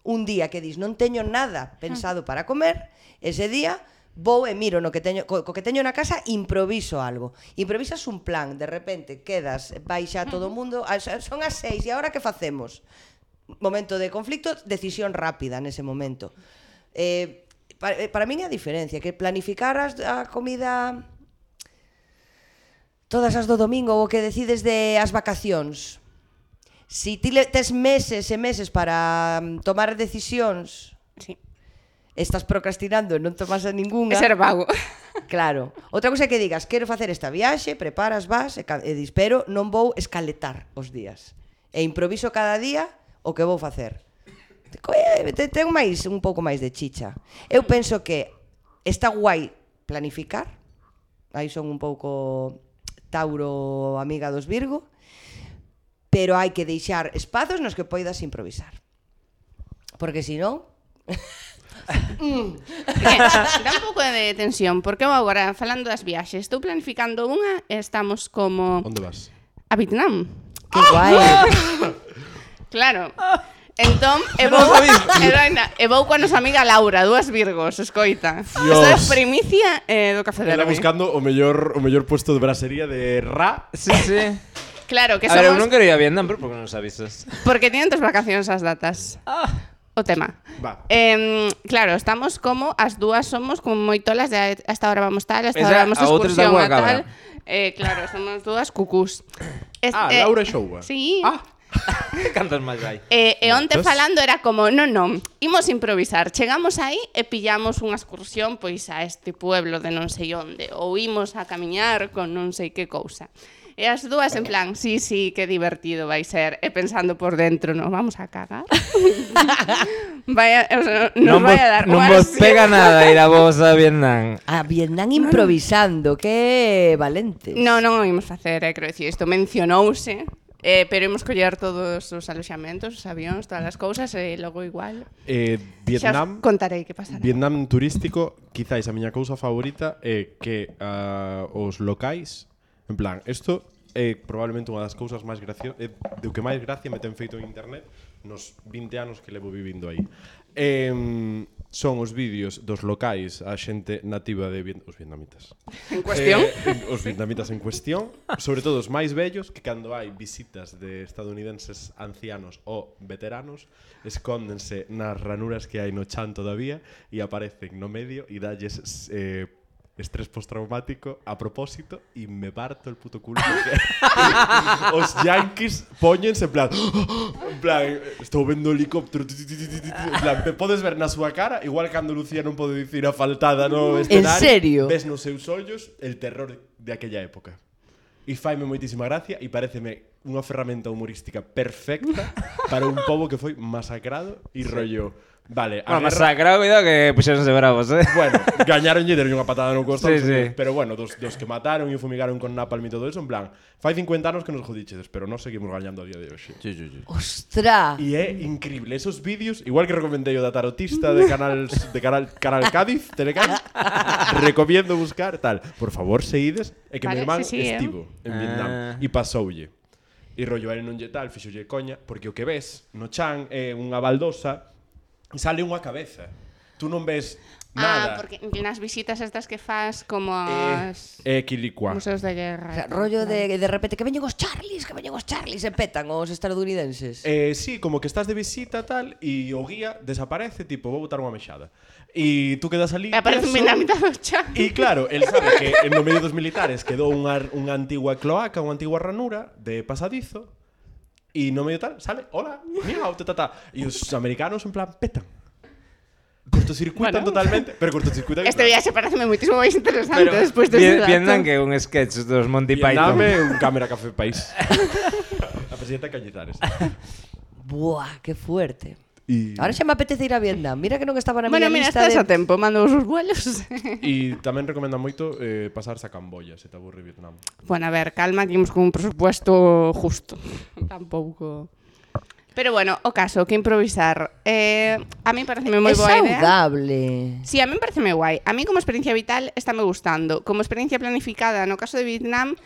Un día que dis, non teño nada pensado para comer, ese día vou e miro no que teño, co, co que teño na casa, improviso algo. Improvisas un plan, de repente quedas, vai xa todo o mundo, son as seis, e agora que facemos? Momento de conflicto, decisión rápida nese momento. Eh, para, para min é a diferencia, que planificar as, a comida todas as do domingo ou o que decides de as vacacións. Si ti tes meses e meses para tomar decisións,
Sí.
estás procrastinando e non tomas a ninguna.
É ser vago.
Claro. Outra cousa é que digas, quero facer esta viaxe, preparas, vas e, e dis, pero non vou escaletar os días. E improviso cada día o que vou facer. Ten máis, un pouco máis de chicha. Eu penso que está guai planificar. Aí son un pouco Tauro, amiga dos Virgo. Pero hai que deixar espazos nos que poidas improvisar. Porque se non...
mm. Dá un pouco de tensión, porque eu agora, falando das viaxes, estou planificando unha e estamos como...
Onde vas?
A Vietnam.
Que guai.
Claro. Entón, e vou, e, doina, e vou coa nosa amiga Laura, dúas Virgos, escoita. Isto é primicia eh, do Café
Ela
Derby.
buscando o mellor o mellor puesto de brasería de Ra.
Sí, sí.
Claro, que
A ver, eu
somos...
non quero ir a Vietnam, pero por que non nos avisas?
Porque tienen tus vacacións as datas.
Ah.
O tema.
Va.
Eh, claro, estamos como, as dúas somos como moitolas de hasta ahora vamos tal, hasta
Esa,
ahora vamos de
a outra está
excursión
boa
a tal.
cabra.
Eh, claro, somos dúas cucús. Es,
Ah,
eh,
Laura Showa.
Sí.
Ah,
Cantas máis hai?
E, e onte
Moitos.
falando era como, non, non, imos improvisar. Chegamos aí e pillamos unha excursión pois a este pueblo de non sei onde, ou imos a camiñar con non sei que cousa. E as dúas en plan, sí, sí, que divertido vai ser. E pensando por dentro, nos vamos a cagar. Vaya, o sea, nos
non
vai
vos,
a dar
non
unha
vos
ansia.
pega nada ir a vos a Vietnam.
A Vietnam improvisando, que valentes.
No, non o imos facer, eh, quero dicir, isto mencionouse, eh, pero imos coller todos os aloxamentos, os avións, todas as cousas, e logo igual.
eh,
Xa
Vietnam...
os contarei que pasará.
Vietnam turístico, quizáis a miña cousa favorita é que uh, os locais, en plan, isto é probablemente unha das cousas máis graciosas, é do que máis gracia me ten feito en internet nos vinte anos que levo vivindo aí. Eh, son os vídeos dos locais a xente nativa de Viet- os vietnamitas.
En cuestión.
Eh, os vietnamitas en cuestión, sobre todo os máis vellos, que cando hai visitas de estadounidenses ancianos ou veteranos, escóndense nas ranuras que hai no chan todavía e aparecen no medio e dalles eh, estrés postraumático a propósito e me parto el puto culo porque os yankees poñense en plan en plan, estou vendo o helicóptero en plan, me podes ver na súa cara igual cando Lucía non pode dicir a faltada no escenario,
serio?
ves nos seus ollos el terror de aquella época e faime moitísima gracia e pareceme unha ferramenta humorística perfecta para un pobo que foi masacrado e rollo. Vale, a
Bueno,
guerra...
masacrado, cuidado que puxeronse bravos, eh?
Bueno, gañaron e deron unha patada no costado,
Sí, sí.
pero bueno, dos, dos que mataron e fumigaron con napalm e todo eso, en plan, fai cincuenta anos que nos jodichedes, pero nós seguimos gañando a día de hoxe.
Sí, sí, sí.
Ostra.
E é increíble, esos vídeos, igual que recomendei o da tarotista de canal de canal, canal Cádiz, Telecán, recomiendo buscar tal. Por favor, seguides, é que
Vale,
mi irmán
sí, sí,
estivo en
Ah.
Vietnam e pasoulle. E rollo, ele non lle tal, fixolle coña, porque o que ves no chan é unha baldosa e sale unha cabeza. Tú non ves nada.
Ah, porque nas visitas estas que fas como
Eh,
as
é Quilicua.
museos de
O
guerra.
sea, rollo de, de repente que veñen os Charlies, que veñen os Charlies e petan os estadounidenses.
Eh, sí, como que estás de visita tal e o guía desaparece, tipo, vou botar unha mexada. E tú quedas ali.
E aparece un
tieso,
dinamita do chan.
E claro, el sabe que en no medio dos militares quedou unha, unha antigua cloaca, unha antigua ranura de pasadizo. E no medio tal, sale, hola, miau, ta, ta, ta. E os americanos en plan petan. Cortocircuitan
Bueno.
totalmente, pero cortocircuitan.
Este viaxe pareceme moitísimo máis interesante
Pero
despois de
Vie-
ese dato.
Vietnam que é un sketch dos Monty Python.
Vietnam é un cámara café país. A presidenta Cañizares.
Buah, que fuerte.
E,
Ahora xa me apetece ir a Vietnam. Mira que non estaba na
Bueno,
miña
mira,
lista
estás
de...
a tempo, mando os vuelos.
e tamén recomendan moito eh, pasarse a Camboya, se te aburre Vietnam.
Bueno, a ver, calma, que imos con un presupuesto justo. Tampouco. Pero bueno, o caso, que improvisar. Eh, a mí pareceme moi
É
boa idea.
saudable.
Sí, a mí me parece moi guai. A mí como experiencia vital está me gustando. Como experiencia planificada, no caso de Vietnam,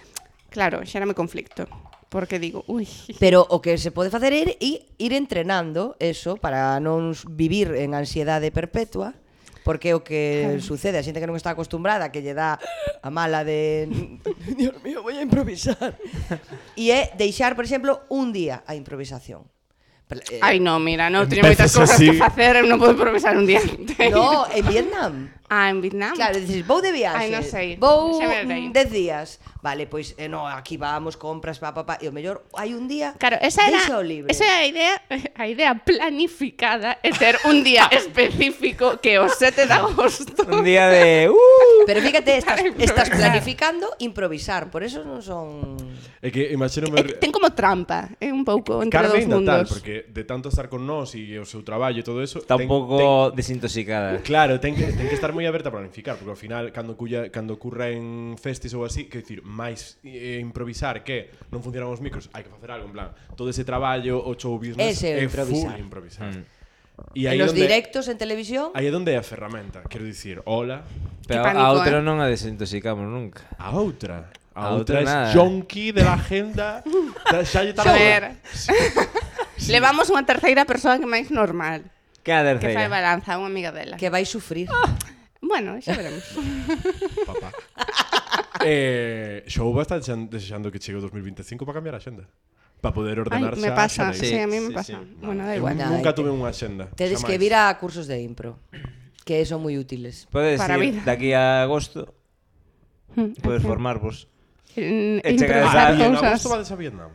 claro, xérame conflicto. Porque digo, ui...
Pero o que se pode facer é ir, ir entrenando eso para non vivir en ansiedade perpetua. porque o que sucede, a xente que non está acostumbrada, que lle dá a mala de Dios mío, voy a improvisar. E é deixar, por exemplo, un día a improvisación. Eh,
Ai, no, mira, non teño moitas
Empezas
cousas
así.
que facer, eu non podo improvisar un día.
No, en Vietnam.
Ah, en Vietnam?
Claro, dices, vou de viaxe.
Ai, non sei.
Vou
Xa verei.
dez días. Vale, pois, eh, no, aquí vamos, compras, pa, pa, pa. E o mellor, hai un día,
Claro, esa era,
deixao libre.
esa era a idea, a idea planificada é ter un día específico que é o sete de agosto.
Un día de... Uh,
Pero fíjate, estás,
Para improvisar.
estás planificando improvisar, por eso non son...
É que imagínome...
É, ten como trampa, é un pouco entre
Carmen
dos
ainda
mundos.
tal, porque de tanto estar con nós e o seu traballo e todo eso...
está un
ten-
pouco desintoxicada.
ten- Claro, ten que, ten que estar moi aberta a planificar, porque ao final, cando, cuya, cando ocurra en festis ou así, que dicir, máis eh, improvisar que non funcionan os micros, hai que facer algo, en plan, todo ese traballo, o show business,
Ese é
é
improvisar.
full improvisar.
Mm.
E
En
aí
los
onde,
directos en televisión,
aí é onde é a ferramenta, quero dicir, hola,
Pero
Que pánico,
a outra
eh.
non a desintoxicamos nunca.
a outra. A,
A outra
outra é
nada.
jonky de la agenda, xa lle está
A
na
ver,
hora.
levamos unha terceira persoa que é máis normal,
Que a
que fai
terceira?
balanza, unha amiga dela.
que vai sufrir.
Bueno, xa veremos.
Papá. eh, Xouba está desexan- desexando que chegue o dos mil veinticinco para cambiar a xenda. Para poder
Ai,
ordenar
me
xa
pasa,
a xeneira.
sí, a mí me
sí,
pasa.
sí.
Bueno, da
Eu
igual.
Nada,
nunca
hai
tuve unha xenda.
Tedes
xamais.
que vir a cursos de impro, que son moi útiles.
Podes
Para a
ir
vida.
daqui a agosto,
Mm,
podes
ok.
formarvos.
En-
E chegas
improvisar
a-
Ah, e en
cousas.
agosto vades a Vietnam.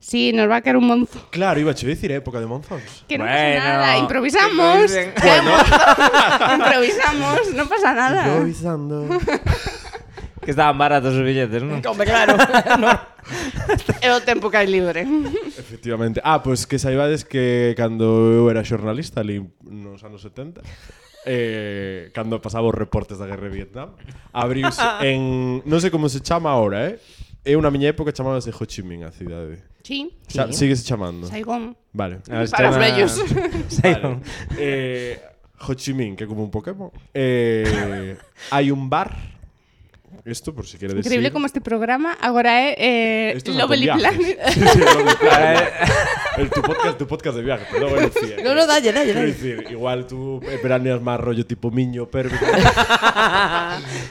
Sí, nos va a caer un monzo.
Claro, iba a decir época de monzóns.
Que no
Bueno,
pasa nada,
que
improvisamos.
improvisen.
Cae un monzo. Improvisamos, no pasa nada.
Improvisando.
Que estaban baratos os billetes, non?
Hombre, claro.
É o tempo que hai libre.
Efectivamente. Ah, pois pues que saibades que cando eu era xornalista ali nos anos setenta, eh, cando pasaba os reportes da guerra de Vietnam, abriuse en... Non sei como se chama ahora, eh? É unha miña época chamábase Ho Chi Minh a cidade.
Sí,
Xa, síguese chamando.
Saigón.
Vale.
A ver, se
Para os
chama-
vellos.
Saigon.
Vale. Eh, Ho Chi Minh, que é como un Pokémon. Eh, hai un bar. Isto por si queredes
Increíble
ir.
como este programa agora é eh,
Esto es
Lovely
con viajes.
Planet.
Sí, sí, Lovely Planet. El, tu, podcast, tu podcast de viaje, perdón, bueno, sí,
No, no, dalle, dalle,
Quiero
dalle.
decir, igual tú eh, veraneas máis rollo tipo miño, pérvico.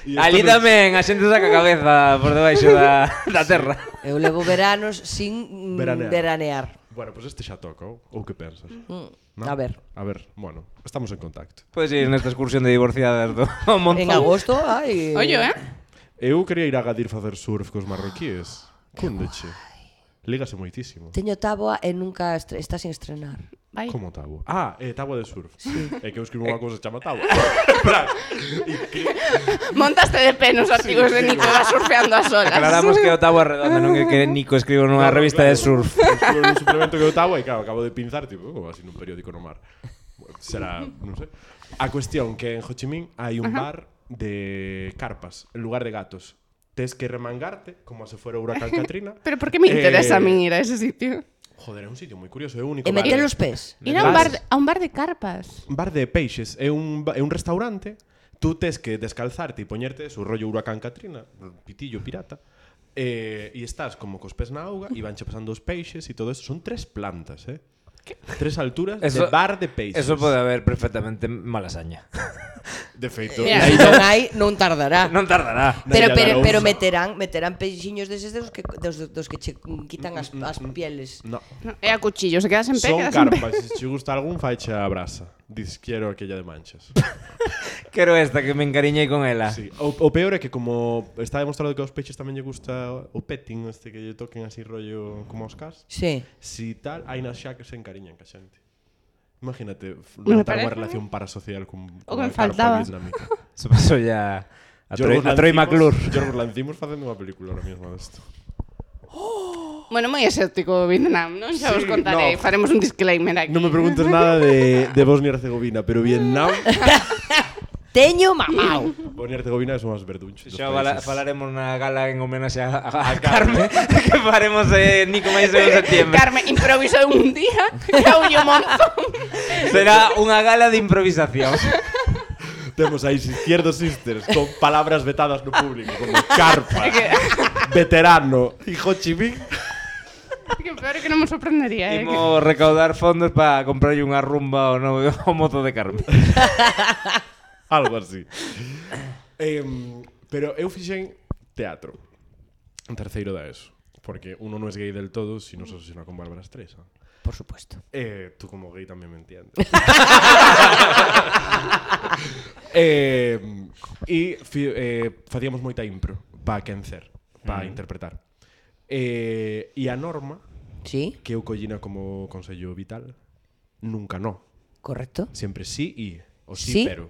E
Ali
esto non-
tamén a xente saca a cabeza por debaixo da, da terra.
Eu levo veranos sin mm,
Veranear.
veranear.
Bueno, pues este xa toca, ou ou que pensas?
Mm,
¿No?
A ver,
A ver, bueno, estamos en contacto.
Podes ir nesta excursión de divorciadas do Monzón.
en agosto, ai...
Oye, eh?
Eu quería ir a Gadir facer surf cos marroquíes. Cundeche. Lígase moitísimo.
Teño táboa e nunca estre está sin estrenar.
Vai.
Como táboa? Ah, é táboa de surf. Sí. É que eu escribo unha cousa que chama táboa. En plan, e que-
Montaste de pé nos artigos de Nico vas surfeando a solas.
Aclaramos que o táboa redonda, non é que Nico escribe nunha
Claro,
revista
claro.
de surf.
Escribo nun suplemento que eu táboa e claro, acabo de pinzar, tipo, oh, así nun periódico no mar. Bueno, será, non sei. A cuestión que en Ho Chi Minh hai un bar de carpas, en lugar de gatos. Tes que remangarte, como se fuera huracán Katrina.
Pero por que me interesa
Eh,
a mí ir a ese sitio?
Joder, é un sitio moi curioso, é o único
E
bar.
meter os pés.
Ir a un bar,
Vas-
a un bar de carpas.
Un bar de peixes, é un, ba- é un restaurante. Tú tes que descalzarte e poñerte su rollo huracán Katrina, pitillo pirata. Eh, e estás como cos pés na auga e vanche pasando os peixes e todo eso. Son tres plantas, eh? Tres alturas
Eso-
de bar de peixes.
Eso pode haber perfectamente malasaña.
De feito.
Mira,
Se non hai, non tardará.
Non tardará.
Pero,
Naira
pero,
Arousa.
pero meterán, meterán peixiños deses dos que, dos, dos que che quitan as, as pieles.
No.
No, é a cuchillo, se quedas en pé,
Son
quedas en pé.
carpas. Se te gusta algún, faiche a brasa. Dices, quiero aquella de manchas.
Quero esta que me encariñei con ela.
Sí. O, o peor é que como está demostrado que aos peixes tamén lle gusta o petting, este que lle toquen así rollo como os cas,
Sí.
si tal, hai nas xa que se encariñan ca xente. Imagínate f-
Me
levantar unha
parece-
relación parasocial con,
O
con
que me
a carpa
faltaba.
vietnamita.
Se pasou ya a Troy,
Yorgos
a Troy
Lanthimos-
McClure.
Yorgos Lanthimos facendo unha película ahora mesmo desto.
Bueno, moi exótico Vietnam, non? Xa vos
Sí,
contarei,
no.
faremos un disclaimer aquí.
Non me preguntes nada de, de Bosnia e Herzegovina, pero Vietnam,
Teño mamao.
Bosnia e Herzegovina son as verdunchos.
Xa fala, falaremos na gala en homenaxe a, a, a Carme que faremos eh, Nico máis en septiembre.
Carme improvisou un día, caulle un montón.
Será unha gala de improvisación.
Temos aí Izquierdo Sisters con palabras vetadas no público, como carpa, veterano e Ho Chi Minh.
Que peor é que non me sorprendería, eh. que-
Imos recaudar fondos para comprarlle unha rumba ao novo ao mozo de Carme.
Algo así. Eh, pero eu fixen teatro en terceiro da ESO, porque uno non es gay del todo si non se obsesiona con Bárbara Streisand.
Por supuesto.
Eh, tú como gay tamén me entiendes. eh, e fi, eh, facíamos moita impro para quencer, para mm. interpretar. Eh, e a norma,
sí,
que eu collina como consello vital, nunca no.
Correcto.
Sempre sí e o sí,
sí,
pero.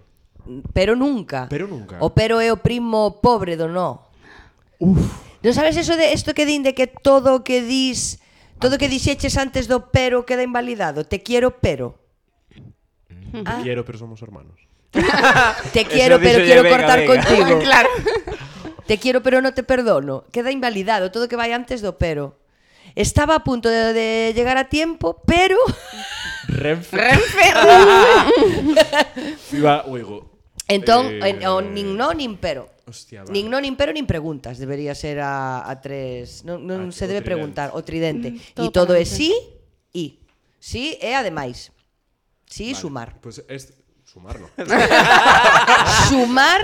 Pero nunca.
Pero nunca.
O pero é o primo pobre do no. Uf. Non sabes eso de isto que din de que todo o que dis, todo o que dixeches antes do pero queda invalidado? Te quiero, pero.
Mm. Te ah. quiero, pero somos hermanos.
Te quiero, pero quiero venga, cortar venga. contigo.
Claro.
Te quiero, pero no te perdono. Queda invalidado todo o que vai antes do pero. Estaba a punto de, de llegar a tiempo, pero...
Renfe.
Renfe.
Iba, oigo.
Entón,
eh,
o nin no, nin pero.
Hostia,
nin no, nin pero, nin preguntas. Debería ser a, a tres... Non, non
ah,
se debe preguntar. O tridente.
Mm,
e todo, todo é sí e. Sí é ademais. Sí e vale. Sumar.
Pues es... Sumar, no.
Sumar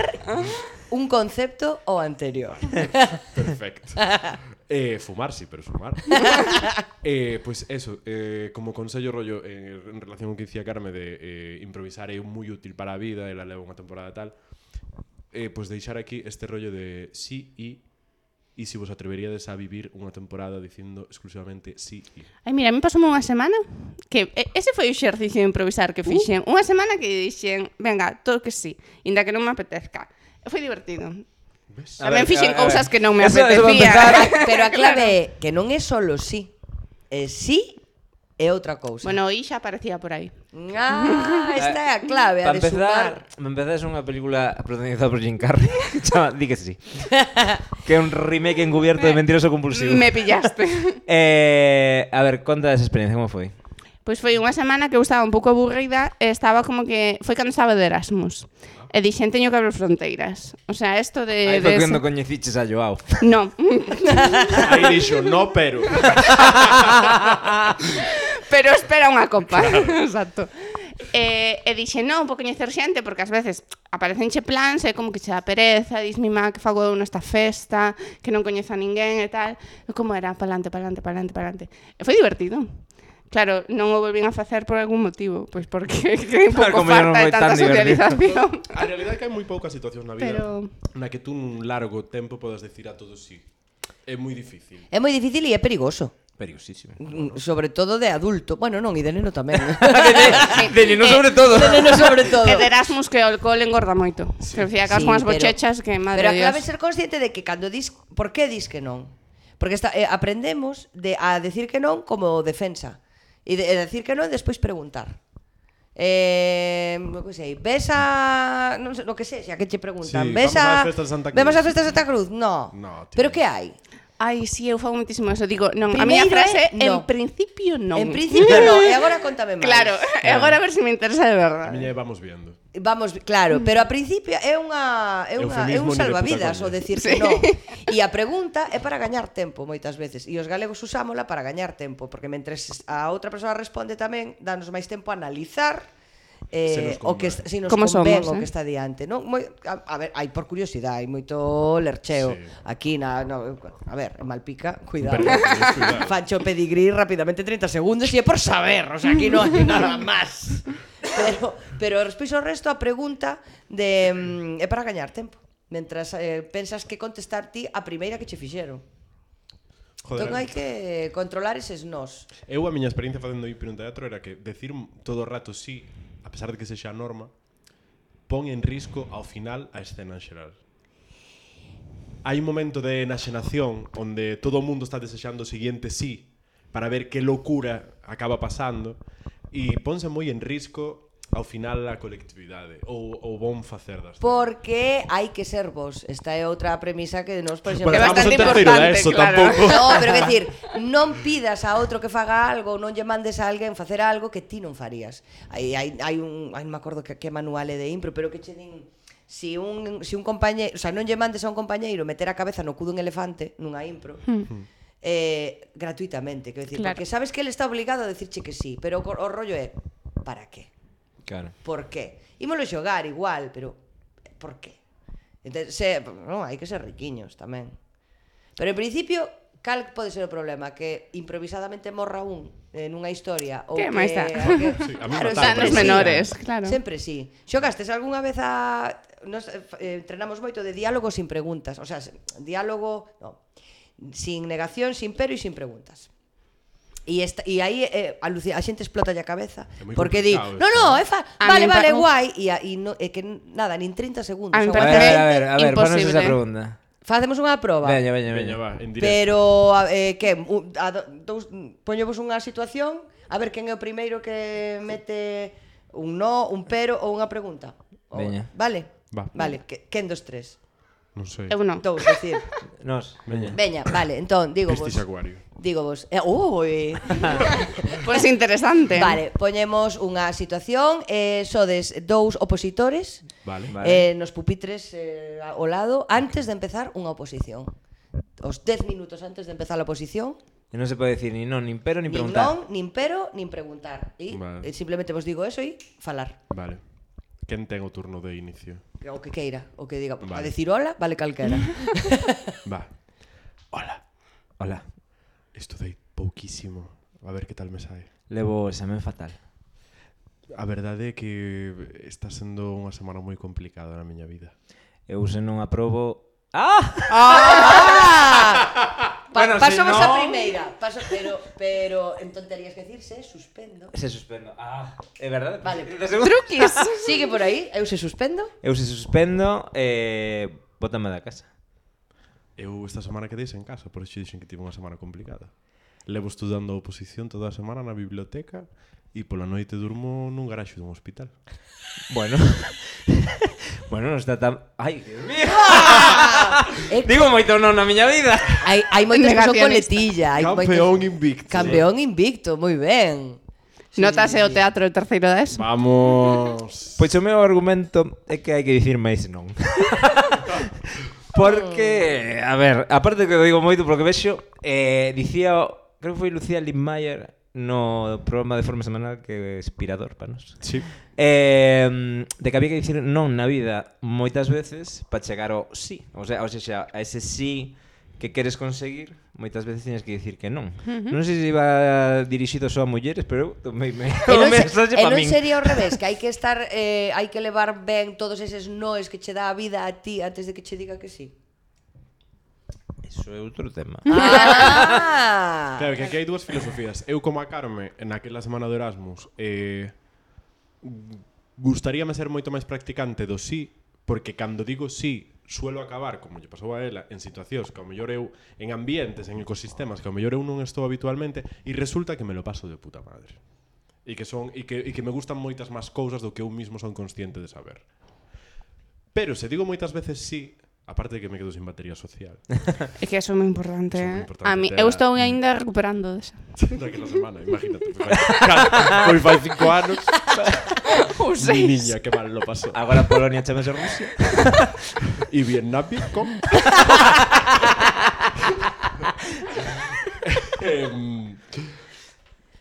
un concepto ao anterior.
Perfecto. Eh, fumar, sí, pero sumar. eh, pues eso, eh, como consello rollo eh, en relación con que dicía Carme de eh, improvisar é moi útil para a vida e la levo unha temporada tal, eh, pues deixar aquí este rollo de sí e e se vos atreveríades a vivir unha temporada dicindo exclusivamente sí e.
Ai, mira, a mí pasoume unha semana que ese foi o exercicio de improvisar que fixen. Uh. Unha semana que dixen, venga, todo que sí, inda que non me apetezca. Foi divertido. ¿Ves? Tamén fixen cousas que non me apetecía.
Pero a clave é que non é solo sí. É sí e outra cousa.
Bueno, e xa aparecía por aí.
Ah, esta é a clave, a de sumar.
Me empezás unha película protagonizada por Jim Carrey que chama Di que sí. Que é un remake encubierto de Mentiroso Compulsivo.
Me pillaste.
eh, a ver, conta esa experiencia, como foi?
Pois foi unha semana que eu estaba un pouco aburrida e estaba como que... Foi cando estaba de Erasmus. E dixen, teño que abrir fronteiras. O sea, esto de...
Aí foi cando coñeciches a Joao.
No.
Aí dixo, no, pero...
pero espera unha copa. Claro. Exacto. E, e dixe, non, vou coñecer xente, porque ás veces aparecenche plans e como que che dá pereza, dis mi má que fago eu nesta festa, que non coñezo a ninguén e tal. E como era, palante, palante, palante, palante. E foi divertido. Claro, non o volvín a facer por algún motivo, pois porque que un pouco
claro,
falta de tanta socialización.
A realidade é que hai moi poucas situacións na vida
Pero...
na que tú nun largo tempo podas decir a todos sí. É moi difícil.
É moi difícil e é perigoso.
Perigosísimo.
Sobre todo de adulto. Bueno, non, e de neno tamén.
de, de neno sobre todo.
De neno sobre todo.
E de Erasmus que o alcohol engorda moito. Sí. Que decía que sí, con as bochechas que madre
pero
Dios.
Pero a clave ser consciente de que cando dis... Por que dis que non? Porque está, eh, aprendemos de, a decir que non como defensa. E de, de decir que non e despois preguntar. Eh, non sei, ves a... Non sei, lo que sei, xa que che preguntan.
Sí,
ves
vamos
a...
a festa de Santa Cruz.
Vemos a festa de Santa Cruz? No.
No,
pero que hai?
Ai, si, sí, eu fago muitísimo eso. Digo, non,
Primeiro
a miña frase,
é, no.
en principio non.
En principio non, e agora contame máis.
Claro, e agora a ver se me interesa de
A
verdade.
miña vamos viendo.
Vamos, claro, pero a principio é unha é unha é un salvavidas o decir que
sí.
non. E a pregunta é para gañar tempo moitas veces. E os galegos usámola para gañar tempo, porque mentres a outra persoa responde tamén, danos máis tempo a analizar eh, o que si nos
Como
convén
somos,
o que
eh?
está diante, non? Moi, a, a ver, hai por curiosidade, hai moito lercheo
sí.
aquí na, no, a ver, en Malpica, cuidado.
cuidado.
Fancho pedigrí rapidamente trinta segundos e é por saber, o sea, aquí non hai nada máis. Pero pero despois o resto a pregunta de mm, é para gañar tempo. Mentras eh, pensas que contestar ti a primeira que che fixeron. Joder, entón hai que controlar eses nós.
Eu a miña experiencia facendo impro en teatro era que decir todo o rato sí, a pesar de que sexa a norma, pon en risco ao final a escena en xeral. Hai un momento de enaxenación onde todo o mundo está desexando o seguinte sí para ver que locura acaba pasando e ponse moi en risco ao final a colectividade ou o bon facer das.
Porque hai que ser vos. Esta é outra premisa que nos, por exemplo,
bueno,
é bastante
importante,
importante,
eso,
claro.
tampouco.
No, pero é dicir, non pidas a outro que faga algo, non lle mandes a alguén facer algo que ti non farías. Hai hai hai un, hai non me acordo que que manual é de impro, pero que che din si un si un compañeiro, o sea, non lle mandes a un compañeiro meter a cabeza no cu dun elefante nunha impro. Hmm. Eh, gratuitamente, quero dicir, claro. Porque sabes que ele está obligado a decirche que sí, pero o, o rollo é para qué?
Claro.
Por qué? Ímolo xogar igual, pero por qué? Entón, se, non, hai que ser riquiños tamén. Pero en principio, cal pode ser o problema? Que improvisadamente morra un en unha historia ou
Que
que...
máis dá?
que
Sí, a mí
claro,
mataron,
sempre
Danos
sí.
menores, claro.
Sempre sí. Xogastes algunha vez a... Nos eh, entrenamos moito de diálogo sin preguntas. O sea, diálogo... No. Sin negación, sin pero e sin preguntas. E, esta, e aí eh, a, Lucía, a xente explota a cabeza
É moi
porque di,
complicado
no,
isto,
no,
¿no?
é fa
A
vale,
mí me
vale,
pa-
guai e, a, e no, é que nada, nin trinta segundos
A mí me
o
A
parece
ver, a ver, a ver, ponos
imposible.
esa pregunta.
Facemos unha proba.
Veña, veña,
Veña,
veña.
va, en directo.
Pero a- eh, que un- a do- dous poñevos unha situación, a ver quen é o primeiro que mete un no, un pero ou unha pregunta. O-
Veña.
Vale?
Va.
Vale, que, quen dos tres?
Non sei.
Eu non.
Dous, decir.
Nos, veña.
Veña, vale, entón, digo vos.
Pistis acuario.
Digo vos. Eh, ui.
Pois interesante.
Vale, poñemos unha situación, eh, sodes dous opositores,
Vale.
Vale.
eh, nos pupitres eh, ao lado, antes de empezar unha oposición. Os dez minutos antes de empezar a oposición,
E non se pode decir ni non, nin pero, nin
nin
preguntar.
non, nin pero, nin preguntar. E
Vale.
eh, simplemente vos digo eso e falar.
Vale. Quen ten o turno de inicio?
O que queira, o que diga.
Vale.
A decir hola, vale calquera.
Va. Hola.
Hola.
Estudei pouquísimo. A ver que tal me sae.
Levo examen fatal.
A verdade é que está sendo unha semana moi complicada na miña vida.
Eu se non aprobo... Ah!
¡Ah! Pa
Bueno,
pasamos
si
a
no-
primeira. Paso, pero, pero entón terías que decir se suspendo.
Se suspendo. Ah, é verdade?
Vale.
De segundo.
Truquis.
Sigue por aí, eu se suspendo.
Eu se suspendo, eh, bótame da casa.
Eu esta semana quedei en casa, por iso dixen que tive unha semana complicada. Levo estudando a oposición toda a semana na biblioteca e pola noite durmo nun garaxe dun hospital.
Bueno. Bueno, non está tan... Ai, Dios mío.
Eh,
Digo moito non na miña vida.
hai, hai moitos que son
Negacionista.
coletilla. Hai
Campeón
moitos...
invicto.
Campeón invicto, moi ben.
Notase o teatro de terceiro da ESO.
Vamos.
Pois o meu argumento é que hai que dicir máis non. Porque, a ver, aparte que o digo moito porque vexo, eh, dicía, creo que foi Lucía Lindmayer no programa de forma semanal que é Inspirador para nos.
Sí.
Eh, de que había que dicir non na vida moitas veces para chegar ao sí. O sea, o sea, a ese sí que queres conseguir, moitas veces tienes que dicir que non. Uh -huh. Non sei se iba dirixido só a mulleres, pero eu tomei me,
E
o
non, se,
mensaje
e
para
non
min.
sería ao revés, que hai que estar eh, hai que levar ben todos eses noes que che dá a vida a ti antes de que che diga que sí.
Iso é outro tema.
Ah.
Claro, que aquí hai dúas filosofías. Eu como a Carme, naquela semana do Erasmus, eh, gustaríame ser moito máis practicante do sí, porque cando digo sí, suelo acabar, como lle pasou a ela, en situacións que ao mellor eu, en ambientes, en ecosistemas que ao mellor eu non estou habitualmente, e resulta que me lo paso de puta madre. E que son e que, e que me gustan moitas máis cousas do que eu mismo son consciente de saber. Pero se digo moitas veces sí, aparte de que me quedo sin batería social.
É que eso é moi importante.
Eso é moi
eh.
importante,
A mí,
te-
eu estou aínda recuperando desa.
Daquela semana, imagínate. Foi fai cinco anos.
Ou
Mi
seis.
niña, que mal lo pasó.
Agora Polonia chamase Rusia.
Y Vietnam, ¿cómo? Em,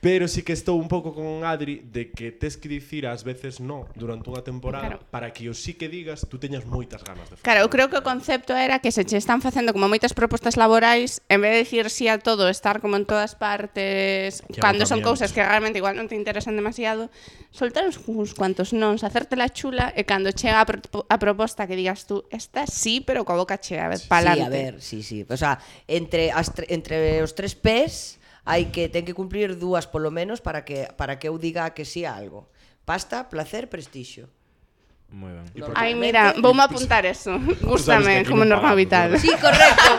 Pero sí que estou un pouco con Adri de que tes que dicir ás veces no durante unha temporada
Claro.
para que o sí que digas tú teñas moitas ganas de facer.
Claro, eu creo que o concepto era que se che están facendo como moitas propostas laborais, en vez de dicir sí a todo, estar como en todas partes,
Que
cando son
agotamiento.
cousas que realmente igual non te interesan demasiado, soltar uns, uns cuantos nons, hacerte la chula e cando chega a, pro, a proposta que digas tú, esta sí, pero coa boca chea, a ver, pa'lante.
Sí, a ver, sí, sí. O sea, entre as tre entre os tres P's hai que ten que cumplir dúas polo menos para que para que eu diga que sí a algo. Pasta, placer, prestixio.
Moi ben.
Y porque-
Ai, mira, voume apuntar eso. Gústame,
aquí
como
non
norma
pagamos,
vital.
¿verdad?
Sí, correcto.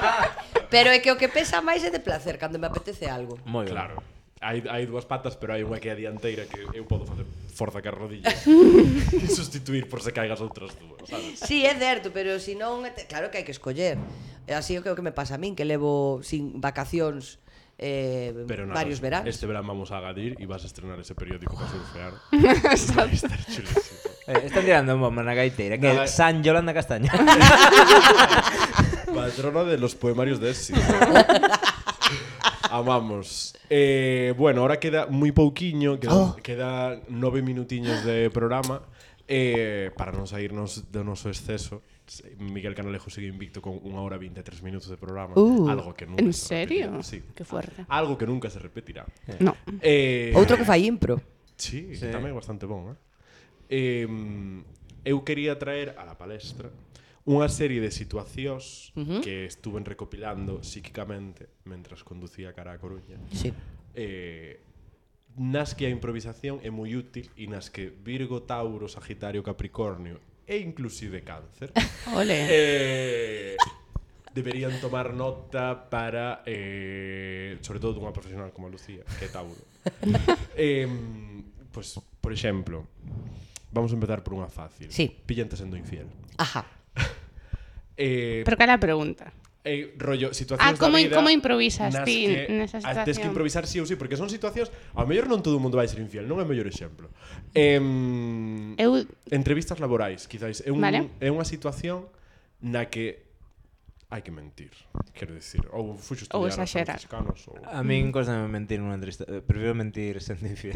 Pero é que o que pesa máis é de placer cando me apetece algo.
Moi ben.
Claro. Hai, hai dúas patas, pero hai unha que é a dianteira que eu podo facer forza ca rodillas e sustituir por se caigas outras dúas, sabes?
Sí, é certo, pero si non, claro que hai que escoller. É así o que o que me pasa a min, que levo sin vacacións eh,
Pero nada,
varios veranos.
este verán vamos a Agadir e vas a estrenar ese periódico para surfear. Vai estar chulísimo.
Eh, están tirando un bomba na gaiteira, que
Nada.
é San Yolanda Castaña.
Patrona de los poemarios de éxito. Amamos. Eh, bueno, ahora queda moi pouquiño, queda,
Oh.
queda nove minutiños de programa. Eh, para non sairnos do noso exceso, Miguel Canalejo sigue invicto con unha hora e vinte e tres minutos de programa.
Uh,
algo que nunca
¿en
se
serio?
repetirá. Sí.
Qué fuerte.
Algo que nunca se repetirá.
No.
Eh,
Outro que fai impro.
Sí,
Sí.
tamén bastante bon, eh? eh eu quería traer a la palestra unha serie de situacións
Ujú.
que estuven recopilando psíquicamente mentras conducía cara a Coruña.
Sí.
Eh, nas que a improvisación é moi útil e nas que Virgo, Tauro, Sagitario, Capricornio e inclusive Cáncer
Ole.
eh, deberían tomar nota para eh, sobre todo dunha profesional como a Lucía, que é Tauro. eh, pues, por exemplo, vamos a empezar por unha fácil.
Sí.
Pillante sendo infiel.
Ajá.
Eh,
Pero cal é a pregunta?
eh, rollo, situacións
Ah, como,
da vida
como improvisas
nas
ti
que
nesa
ah, tes que
situación?
improvisar sí ou sí, porque son situacións, ao mellor non todo o mundo vai ser infiel, non é o mellor exemplo. Eh,
Eu,
entrevistas laborais, quizáis, é, un,
Vale.
é unha situación na que hai que mentir, quero dicir, ou fuxo
Ou
estudiar aos
exaxerar.
franciscanos, ou...
A min costame mentir nunha entrevista. Eh, Prefiro mentir sendo infiel.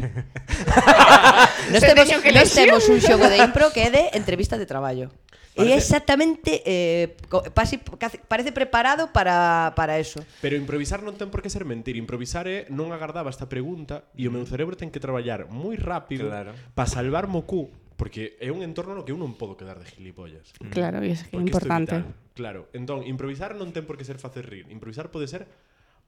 Nos
Se
temos,
teño que
nos
elegir.
temos un xogo de impro que é de entrevista de traballo. E
Parece-
exactamente eh, co- pasi- casi- parece preparado para, para eso.
Pero improvisar non ten por que ser mentir. Improvisar é non agardaba esta pregunta e o meu cerebro ten que traballar moi rápido
Claro.
para salvarme o cu, porque é un entorno no que eu non podo quedar de gilipollas.
claro, e iso que é
Porque isto
importante.
vital. Claro, entón, improvisar non ten por que ser facer rir. Improvisar pode ser,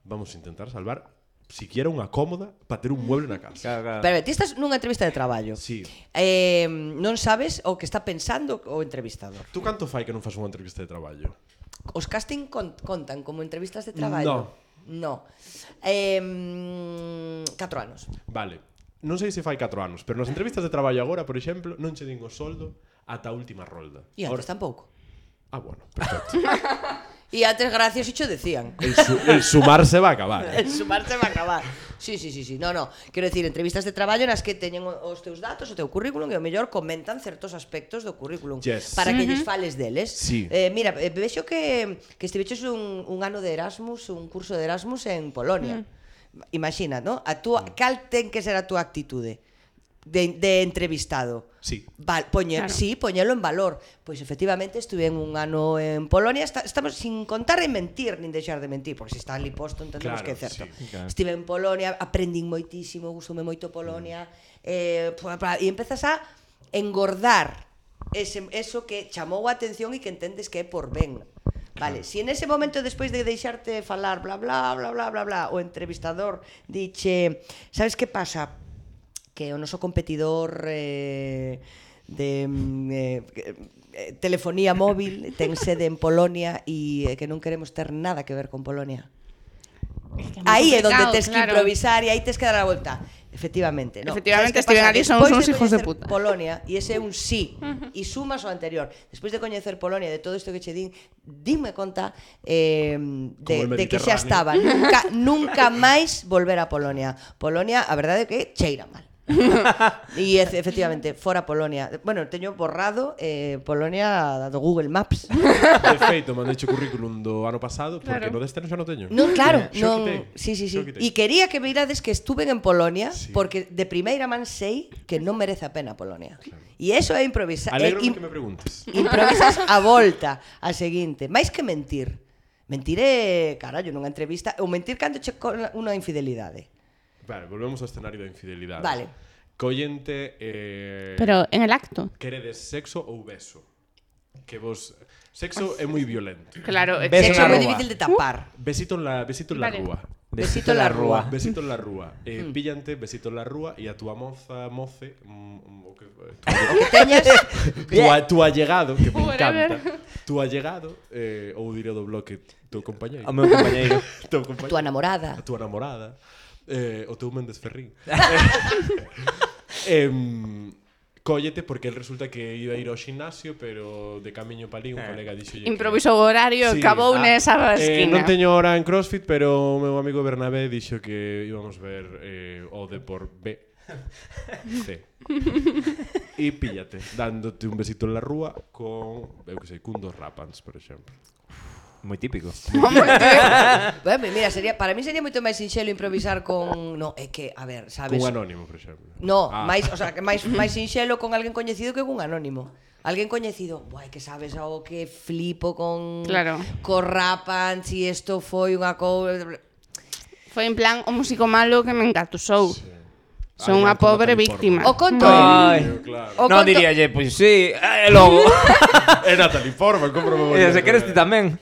vamos a intentar salvar siquiera unha cómoda para ter un mueble na casa.
Claro, claro.
Pero ti estás nunha entrevista de traballo.
Sí.
Eh, non sabes o que está pensando o entrevistador.
Tú canto fai que non fas unha entrevista de traballo?
Os casting con, contan como entrevistas de traballo? No. Eh, catro anos.
Vale. Non sei se fai catro anos, pero nas entrevistas de traballo agora, por exemplo, non che din o soldo ata a última rolda.
E antes tampouco.
Ah, bueno, perfecto.
E antes gracias e cho decían.
El, su, el sumar se va a acabar.
El sumarse va a acabar. Sí, sí, sí, sí. No, no. Quero decir, entrevistas de traballo nas que teñen o- os teus datos, o teu currículum e o mellor comentan certos aspectos do currículum
Yes.
para que lles fales deles.
Sí.
Eh, mira, eh, vexo que que estiveches un, un ano de Erasmus, un curso de Erasmus en Polonia. Imagina, ¿no? A túa, cal ten que ser a túa actitude de, de entrevistado?
Sí.
Val, poñer,
Claro.
sí, poñelo en valor. Pois efectivamente estuve en un ano en Polonia, está, estamos sin contar en mentir, nin deixar de mentir, porque se está ali posto entendemos
Claro,
que é certo.
sí,
claro.
Estive en Polonia, aprendín moitísimo, gustoume moito Polonia, eh, pa- pa- e empezas a engordar ese, eso que chamou a atención e que entendes que é por ben. Vale, si en ese momento despois de deixarte falar bla bla bla bla bla bla o entrevistador diche, sabes que pasa? Que o noso competidor eh, de mm, eh, eh, telefonía móvil ten sede en Polonia e eh, que non queremos ter nada que ver con Polonia. Aí é onde tes que improvisar e aí tes que dar a volta. Efectivamente, no.
Efectivamente,
Sabes que
estiven
pasa?
ali, somos
Despois
uns hijos de
coñecer
puta.
Polonia, e ese é un sí, e sumas o anterior. Despois de coñecer Polonia, de todo isto que che din, dime conta eh, de,
Como el
de que xa
Mediterráneo.
estaba. Nunca, nunca máis volver a Polonia. Polonia, a verdade é que cheira mal. E efe- efectivamente, fora Polonia. Bueno, teño borrado eh, Polonia do Google Maps.
De feito, mandei o currículum do ano pasado porque
Claro.
no deste ano xa non teño.
Non, claro,
Xa
non.
quitei.
Sí, sí, sí.
Xa quitei.
E quería que mirades que estuven en Polonia
Sí.
porque de primeira man sei que non merece a pena Polonia. E iso é improvisar.
Alegro
é
que me preguntes.
Improvisas a volta a seguinte. Mais que mentir. Mentir é, carallo, nunha entrevista, ou mentir cando che con unha infidelidade.
Vale, volvemos ao escenario da infidelidade.
Vale.
Collente eh,
Pero en el acto.
queredes sexo ou beso? Que vos sexo é moi violento.
Claro,
Beso
Sexo
na
é moi
rúa.
difícil de tapar.
Besito en la besito en la
Vale.
rúa.
Besito en la rúa.
Besito en la rúa. Eh,
Hmm.
píllante, besito en la rúa e a túa moza, moce, mm, o que
O que teñas,
tu, a, tu allegado, que me
Whatever.
encanta. Tu allegado, eh, ou diré do bloque teu compañeiro.
O meu compañeiro.
teu compañeiro.
tua namorada.
A tua namorada. Eh, o teu Méndez Ferrín. eh, Cóllete porque el resulta que iba a ir ao ximnasio, pero de camiño pa ali un colega dixolle que-
Improvisou o horario,
Sí,
acabou
ah,
nesa
eh,
esquina.
non teño hora en CrossFit, pero o meu amigo Bernabé dixo que íbamos ver eh, o de por B. C. E píllate, dándote un besito en la rúa con, eu que sei, cun dos Rapans, por exemplo.
Moi típico.
Bueno, mira, sería, para mí sería moito máis sinxelo improvisar con... No, é que, a ver, sabes...
Cun anónimo, por exemplo.
No,
Ah.
máis, o sea, que máis máis sinxelo con alguén coñecido que cun anónimo. Alguén coñecido, buai, que sabes o que flipo con
Claro.
co rapan, si isto foi unha cousa.
Foi en plan o músico malo que me engatusou.
Sí.
Son
Ai,
unha
non, con
pobre
Natalie
víctima.
O conto
Ai.
el.
Claro.
O
Non
conto-
diríalle, pois sí, e logo.
É Natalie Portman, como me
E se queres ti tamén.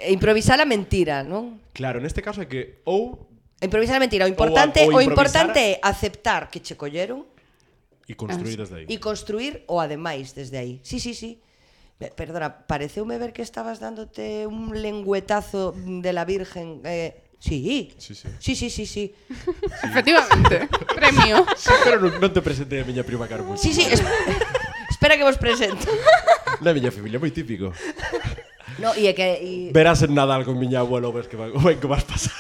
Improvisar a mentira, non?
Claro, neste caso é que ou
Improvisar a mentira, o importante,
Ou a-
o
ou
importante é aceptar que che colleron
e construir desde aí.
e construir o ademais desde aí. Sí, sí, sí. Be- Perdona, pareceume ver que estabas dándote un lengüetazo de la Virgen. Eh, sí.
Sí, sí.
Sí, sí, sí, sí.
Efectivamente. Premio.
Sí, pero non, non te presentei a miña prima Carmen.
Sí, sí, es- espera que vos presento.
Na miña familia, moi típico.
No, e é que e,
Verás en Nadal con miña abuela o ves que, va, o ben que vas pasar.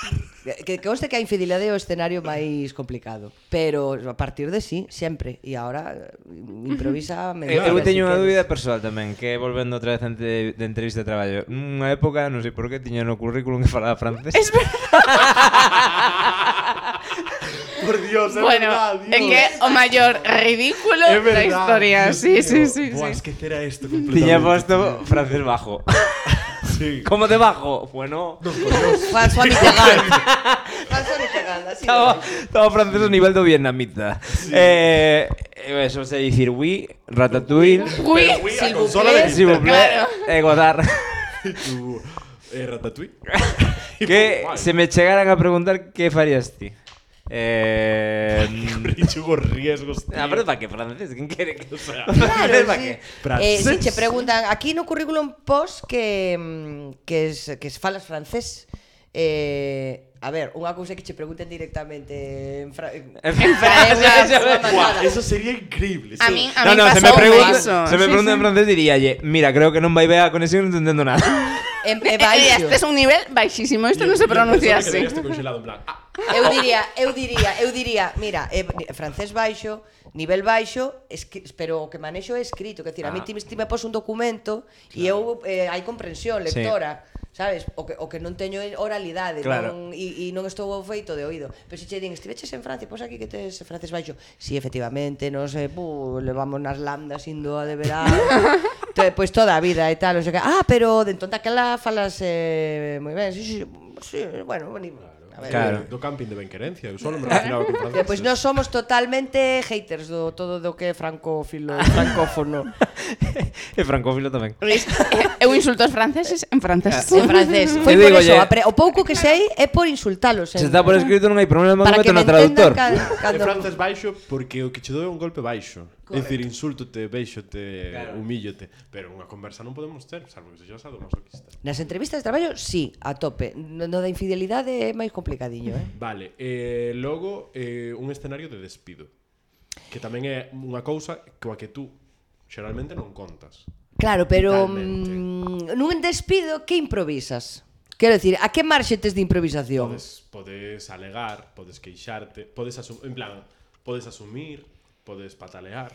que que conste que a infidelidade é o escenario máis complicado, pero a partir de sí, sempre. E agora eh, improvisa a mentira.
Eu, eu
si
teño unha
queres.
dúbida persoal tamén, que volvendo outra vez ante de entrevista de traballo. Nunha época, non sei por que, tiña no currículum que falaba francés.
Es verdad.
Por Dios, é
Bueno,
verdad,
é
Dios.
que o maior ridículo
É
da
verdad,
historia.
Dios
Sí, sí,
mío.
sí,
Buah,
sí.
esquecera esto completamente.
Tiña posto francés bajo.
Sí.
Como de bajo? Bueno,
François Mitterrand. François Mitterrand, así.
estaba,
de-
estaba francés ao nivel do vietnamita. Eh, eh, eso se dicir oui, ratatouille,
Uy,
Pero, oui, a
s'il vous
consola
plaît.
de
s'il vous plaît,
Claro.
e Godard.
tu eh, Ratatouille.
Que
Guai.
se me chegaran a preguntar que farías ti. Eh...
Richugo riesgos, tío.
A ver, para que francés, quen quere que... O sea,
Claro,
para
sí.
que...
Eh, si
Francés.
che preguntan aquí no currículum post que mm, que es, que es falas francés. Eh, a ver, unha cousa é que che pregunten directamente en, fra en
En
francés,
francés,
unha
Buah,
matada.
eso sería increíble.
A
sí.
mí, a
No,
mí
no, se me
pasoume
pregunta,
eso.
se me
Sí,
pregunta
sí.
en francés diríalle, mira, creo que non vai ver a conexión, non entendendo nada.
En,
Eh,
en
eh,
baixo.
Este es un nivel baixísimo. Isto non se pronuncia así.
Este congelado en plan. Ah,
Eu diría, eu diría, eu diría, mira, eh, francés baixo, nivel baixo, escri- pero o que manexo é escrito, que decir, a mí
Ah.
ti, ti me pos un documento e eu eh, hai comprensión lectora. Sabes? O que, o que non teño é oralidade,
Claro.
non, e, e non estou feito de oído. Pero se che din, estiveches en Francia, pois aquí que tes francés baixo. Si, sí, efectivamente, non sei, pu, levamos nas lambdas indo a de verano. Pois pues, toda a vida e tal, non sei que. Ah, pero de entón daquela falas eh, moi ben. Sí, sí, sí, bueno, bueno. A ver,
Claro.
Do camping de Benquerencia. Eu solo me relacionaba con franceses.
Pois nós somos totalmente haters do todo do que é francófilo, francófono.
E francófilo tamén.
Eu insulto aos franceses en francés.
En francés. Foi
Eu
por
digo,
eso,
lle-
apre- o pouco que sei é por insultalos.
Se
en-
está por escrito non hai problema,
para
non
que
meto
me
no traductor.
entendan
E
cando...
francés baixo porque o que che doe é un golpe baixo. É dicir, insultote, beixote,
Claro.
humíllote, pero unha conversa non podemos ter, salvo que sexas sadomasoquista.
Nas entrevistas de traballo, sí, a tope. No, no da infidelidade é máis complicadiño, eh?
Vale, eh, logo eh, un escenario de despido, que tamén é unha cousa coa que tú xeralmente non contas.
Claro, pero
Vitalmente.
mm, nun despido, que improvisas? Quero dicir, a que marxe tes de improvisación?
Podes, podes alegar, podes queixarte, podes asum en plan, podes asumir, podes patalear.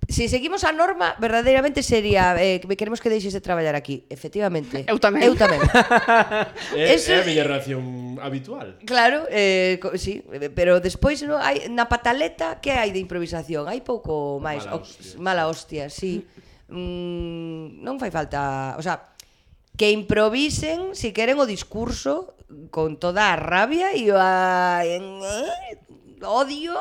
Si seguimos a norma, verdadeiramente sería eh, que queremos que deixes de traballar aquí. Efectivamente.
Eu tamén.
Eu tamén.
É,
Eso-
é a miña reacción habitual.
Claro, eh, co- sí, eh, pero despois no, hai, na pataleta que hai de improvisación? Hai pouco máis.
Mala
O-
hostia.
mala hostia, sí. Mm, non fai falta, o sea, que improvisen si queren o discurso con toda a rabia e o a, en, eh, odio.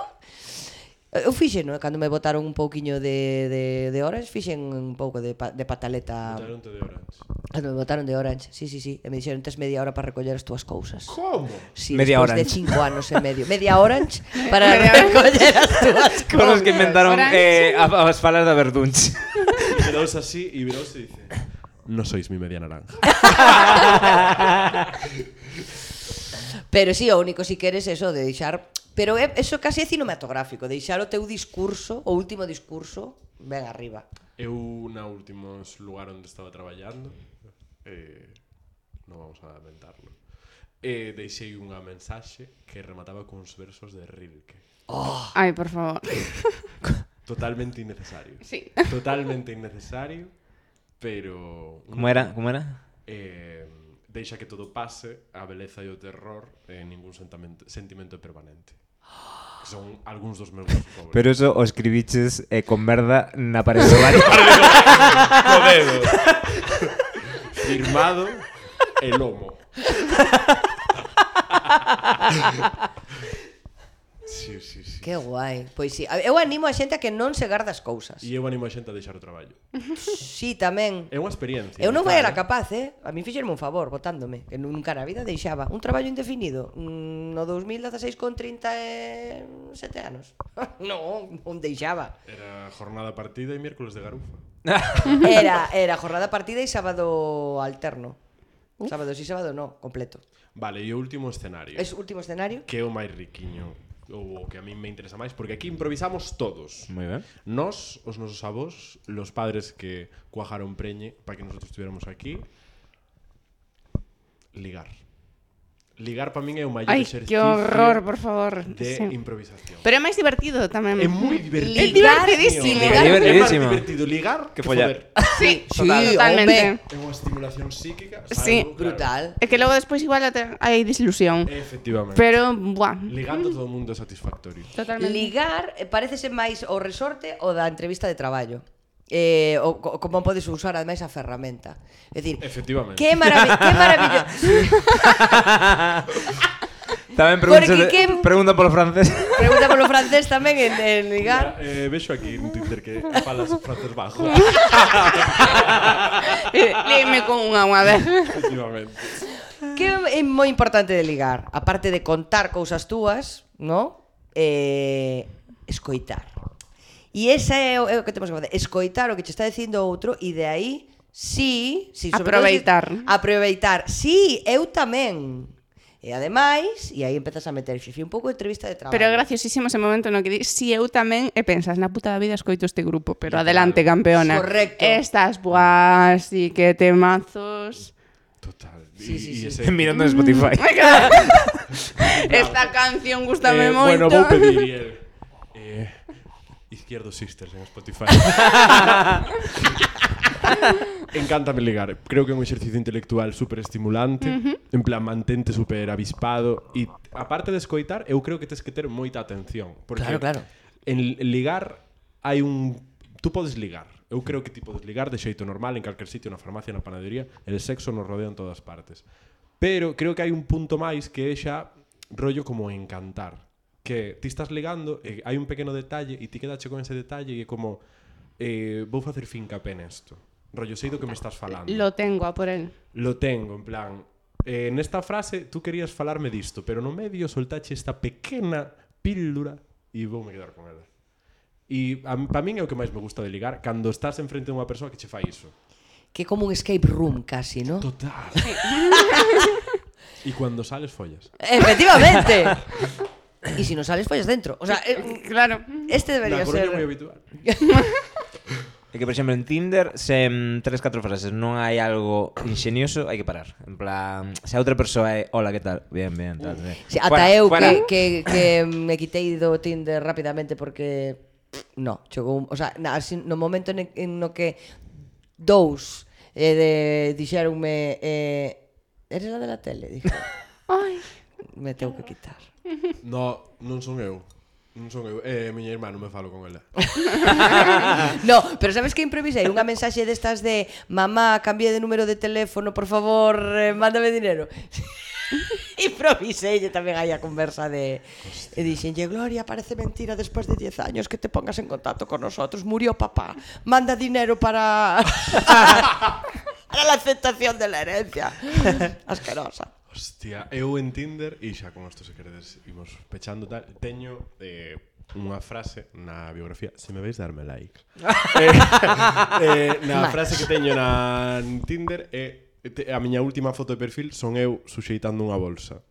Eu fixen, no? Cando me botaron un pouquiño de, de, de Orange, fixen un pouco de, pa, de pataleta.
Botaronte de Orange.
Cando me botaron de Orange, sí, sí, sí. E me dixeron, tes media hora para recoller as túas cousas.
Como?
Sí,
Media
despois de
Orange.
cinco anos e medio. Media Orange para
Media
recoller as túas
Con os que
cousas.
inventaron
Orange.
eh, a- as falas da Verdunch.
Y quedaos así y viraos y dice, no sois mi media naranja.
Pero sí, o único si queres eso de deixar... Pero é, eso casi é cinematográfico, deixar o teu discurso, o último discurso, ben arriba.
Eu na últimos lugar onde estaba traballando, eh, non vamos a inventarlo, eh, deixei unha mensaxe que remataba cuns versos de Rilke.
Ai, por favor.
Totalmente innecesario.
Sí.
Totalmente innecesario. pero...
Como era? Como era?
Eh, deixa que todo pase, a beleza e o terror e ningún sentimento, sentimento é permanente. Que son algúns dos meus favoritos.
Pero eso o escribiches eh, con merda na parede do baño.
Co dedo. Firmado e lomo. Sí, sí, sí.
Que guai. Pois sí, eu animo a xente a que non se garda as cousas.
E eu animo a xente a deixar o traballo.
Sí, tamén.
É unha experiencia.
Eu non
vital,
era
eh.
capaz, eh? A mí fixerme un favor botándome, que nunca na vida deixaba un traballo indefinido mm, no dos mil dezaseis con trinta e sete anos. Non, non deixaba.
Era jornada partida e miércoles de garufa.
Era, era jornada partida e sábado alterno. Sábado sí, sábado no, completo.
Vale, e o último escenario.
Es último escenario.
Que é o máis riquiño, ou o que a mí me interesa máis, porque aquí improvisamos todos.
Moi ben.
Nós, os nosos avós, los padres que cuajaron preñe para que nosotros estuviéramos aquí. Ligar. Ligar para min é o maior
Ai,
exercicio
que horror, por favor.
de
Sí.
improvisación.
Pero é máis divertido tamén.
É moi divertido.
É divertidísimo.
Ligar,
É
É máis
divertidísimo.
divertido ligar
Que
que
follar.
foder.
Sí,
Sí,
totalmente.
É unha estimulación psíquica.
Sí.
salvo,
Brutal.
É que logo despois igual até hai desilusión.
Claro, efectivamente.
Pero, buah,
Ligando todo o mundo é satisfactorio.
totalmente.
Ligar eh, parecese máis o resorte ou da entrevista de traballo. Eh, o, co- como podes usar ademais a ferramenta. É dicir,
Efectivamente.
que maravilloso, que maravilloso.
Tamén pregunta,
Porque que-
pregunta polo francés.
Pregunta polo francés tamén en, en ligar.
Mira, eh, vexo aquí en Twitter que falas francés bajo.
Eh, Léeme con unha unha vez.
Efectivamente.
Que é moi importante de ligar, aparte de contar cousas túas, ¿no? Eh, escoitar. E esa é o, é o que temos que facer, escoitar o que che está dicindo outro e de aí, sí, sí sobre todo
Aproveitar.
si- aproveitar. Sí, eu tamén. E ademais, e aí empezas a meter xefe un pouco de entrevista de traballo.
Pero é graciosísimo ese momento no que di, si eu tamén e pensas, na puta da vida escoito este grupo, pero
Claro.
adelante, campeona.
Correcto.
Estas buas y que temazos.
Total.
Sí,
Y-
sí,
y
sí.
ese-
Mirando en Spotify.
Esta canción gustame
Eh,
moito.
Bueno, vou pedir y el, eh, Izquierdo Sisters en Spotify. Encántame ligar. Creo que é un exercicio intelectual super estimulante. Uh-huh. En plan, mantente super avispado. E aparte de escoitar, eu creo que tens que ter moita atención. Porque
Claro, claro.
en ligar hai un... Tú podes ligar. Eu creo que ti podes ligar de xeito normal en calquer sitio, na farmacia, na panadería. El sexo nos rodea en todas partes. Pero creo que hai un punto máis que é xa rollo como encantar. Que ti estás ligando e hai un pequeno detalle e ti quedache con ese detalle e é como eh, vou facer fincapé nesto. Rollo, sei do que me estás falando.
Lo tengo a por él.
Lo tengo, en plan eh, nesta frase tú querías falarme disto, pero no medio soltache esta pequena píldora e voume quedar con ela. E para min é o que máis me gusta de ligar cando estás enfrente de unha persoa que che fai iso.
Que é como un escape room casi, ¿no?
Total. E cando sales follas.
Efectivamente. E se si non sales follas dentro. O sea, eh,
Claro.
este debería
Na Coruña
ser
é moi habitual.
É que, por exemplo, en Tinder, se en tres, catro frases non hai algo ingenioso, hai que parar. En plan, se a outra persoa é hola, que tal? Bien, bien, tal, bien.
Sí, ata
Fuera,
eu
fuera.
que, que, que me quitei do Tinder rapidamente porque no, chegou, un- o sea, na, así, no momento en, en no que dous eh, de, dixeronme eh, eres la de la tele, dije,
Ai.
me tengo que quitar.
No, non son eu. Non son eu. É eh, miña irmá, non me falo con ela.
No, pero sabes que improvisei unha mensaxe destas de mamá, cambié de número de teléfono, por favor, eh, mándame dinero. Improvisei tamén aí a conversa de e dixenlle, Gloria, parece mentira despois de diez años que te pongas en contacto con nosotros, murió papá, manda dinero para para la aceptación de la herencia. Asquerosa.
Hostia, eu en Tinder, e xa con isto se queredes imos pechando tal, teño eh, unha frase na biografía, se me veis darme like. eh, eh, na
Match.
frase que teño na en Tinder é te, a miña última foto de perfil son eu suxeitando unha bolsa.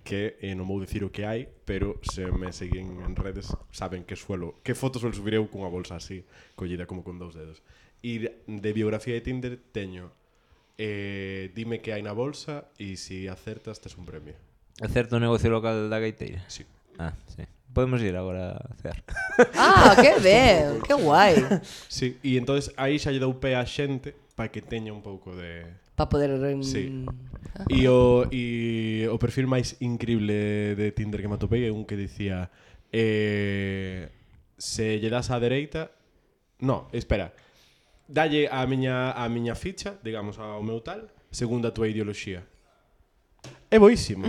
Que eh, non vou dicir o que hai, pero se me seguen en redes saben que suelo, que fotos suelo subir eu cunha bolsa así, collida como con dous dedos. E de biografía de Tinder teño Eh, dime que hai na bolsa e se si acertas tes un premio.
É certo o negocio local da gaiteira?
Sí.
Ah, sí. podemos ir agora a cear.
Ah, que ben, que guai.
Sí, e entonces aí xa lle dou pé a xente para que teña un pouco de...
Para poder... Um...
Sí. E o, e o perfil máis increíble de Tinder que me atopei é un que dicía eh, se lle das á dereita... No, espera. Dalle a miña, a miña ficha, digamos, ao meu tal, segundo a túa ideoloxía. É boísimo.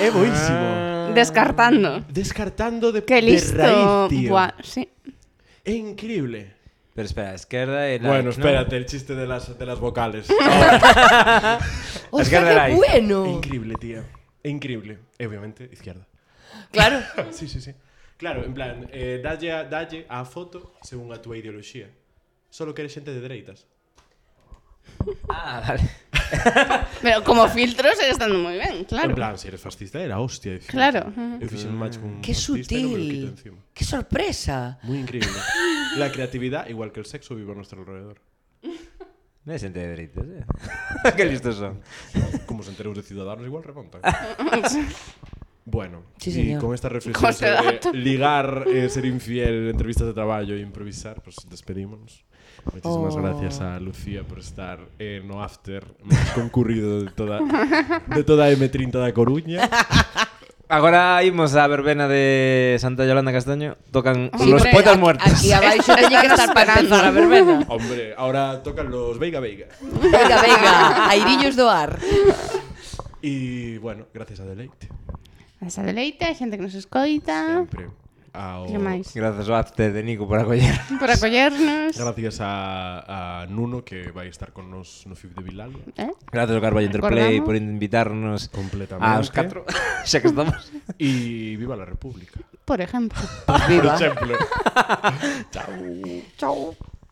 É boísimo.
Descartando.
Descartando de,
Qué listo.
de raíz, tío.
Buah, sí.
É increíble.
Pero espera, a esquerda e la...
Bueno,
¿no?
espérate, el chiste de las, de las vocales.
Hostia,
de
que
la I.
É
bueno.
increíble, tía. É increíble. E obviamente, izquierda.
Claro.
Sí, sí, sí. Claro, en plan, eh, dalle, a, dalle a foto según a túa ideoloxía. Solo que eres xente de dereitas.
Ah, vale.
Pero como filtro sigue estando muy bien,
En
claro.
plan, se eres fascista, era hostia. Dicir.
Claro.
Eu fixen un match con un
Qué
fascista e non me lo quito
sutil.
encima.
Qué sorpresa.
Muy increíble. La creatividad, igual que el sexo, vive a nuestro alrededor.
Non é xente de dereitos, eh? Que listos son.
Como se enteros de Ciudadanos, igual remontan. Bueno,
Sí,
y
señor.
con esta reflexión
Con este
sobre
dato.
ligar, eh, ser infiel, entrevistas de traballo e improvisar, pues despedímonos. Muchísimas
Oh.
gracias a Lucía por estar en no after máis concurrido de toda de toda a M treinta da Coruña.
Agora imos á verbena de Santa Yolanda Castaño. Tocan
Sí,
los
hombre,
poetas
aquí-
muertos.
Aquí abaixo teñe que estar para
esperando.
empezar a verbena.
Hombre, ahora tocan los Veiga Veiga.
Venga, venga, airillos do ar.
Y bueno, gracias a Deleite.
Esa deleite, hai xente que nos escoita.
Siempre. Ao,
Que máis?
Gracias ao after de Nico por acoller.
Por acollernos.
gracias a, a Nuno, que vai estar con nos no F I B de Bilal.
¿Eh?
Gracias ao Carballo Interplay
Recordamos.
por invitarnos
Completamente.
aos catro. Xa que estamos.
Y viva la República.
Por ejemplo.
Pues viva.
Por ejemplo.
Chao.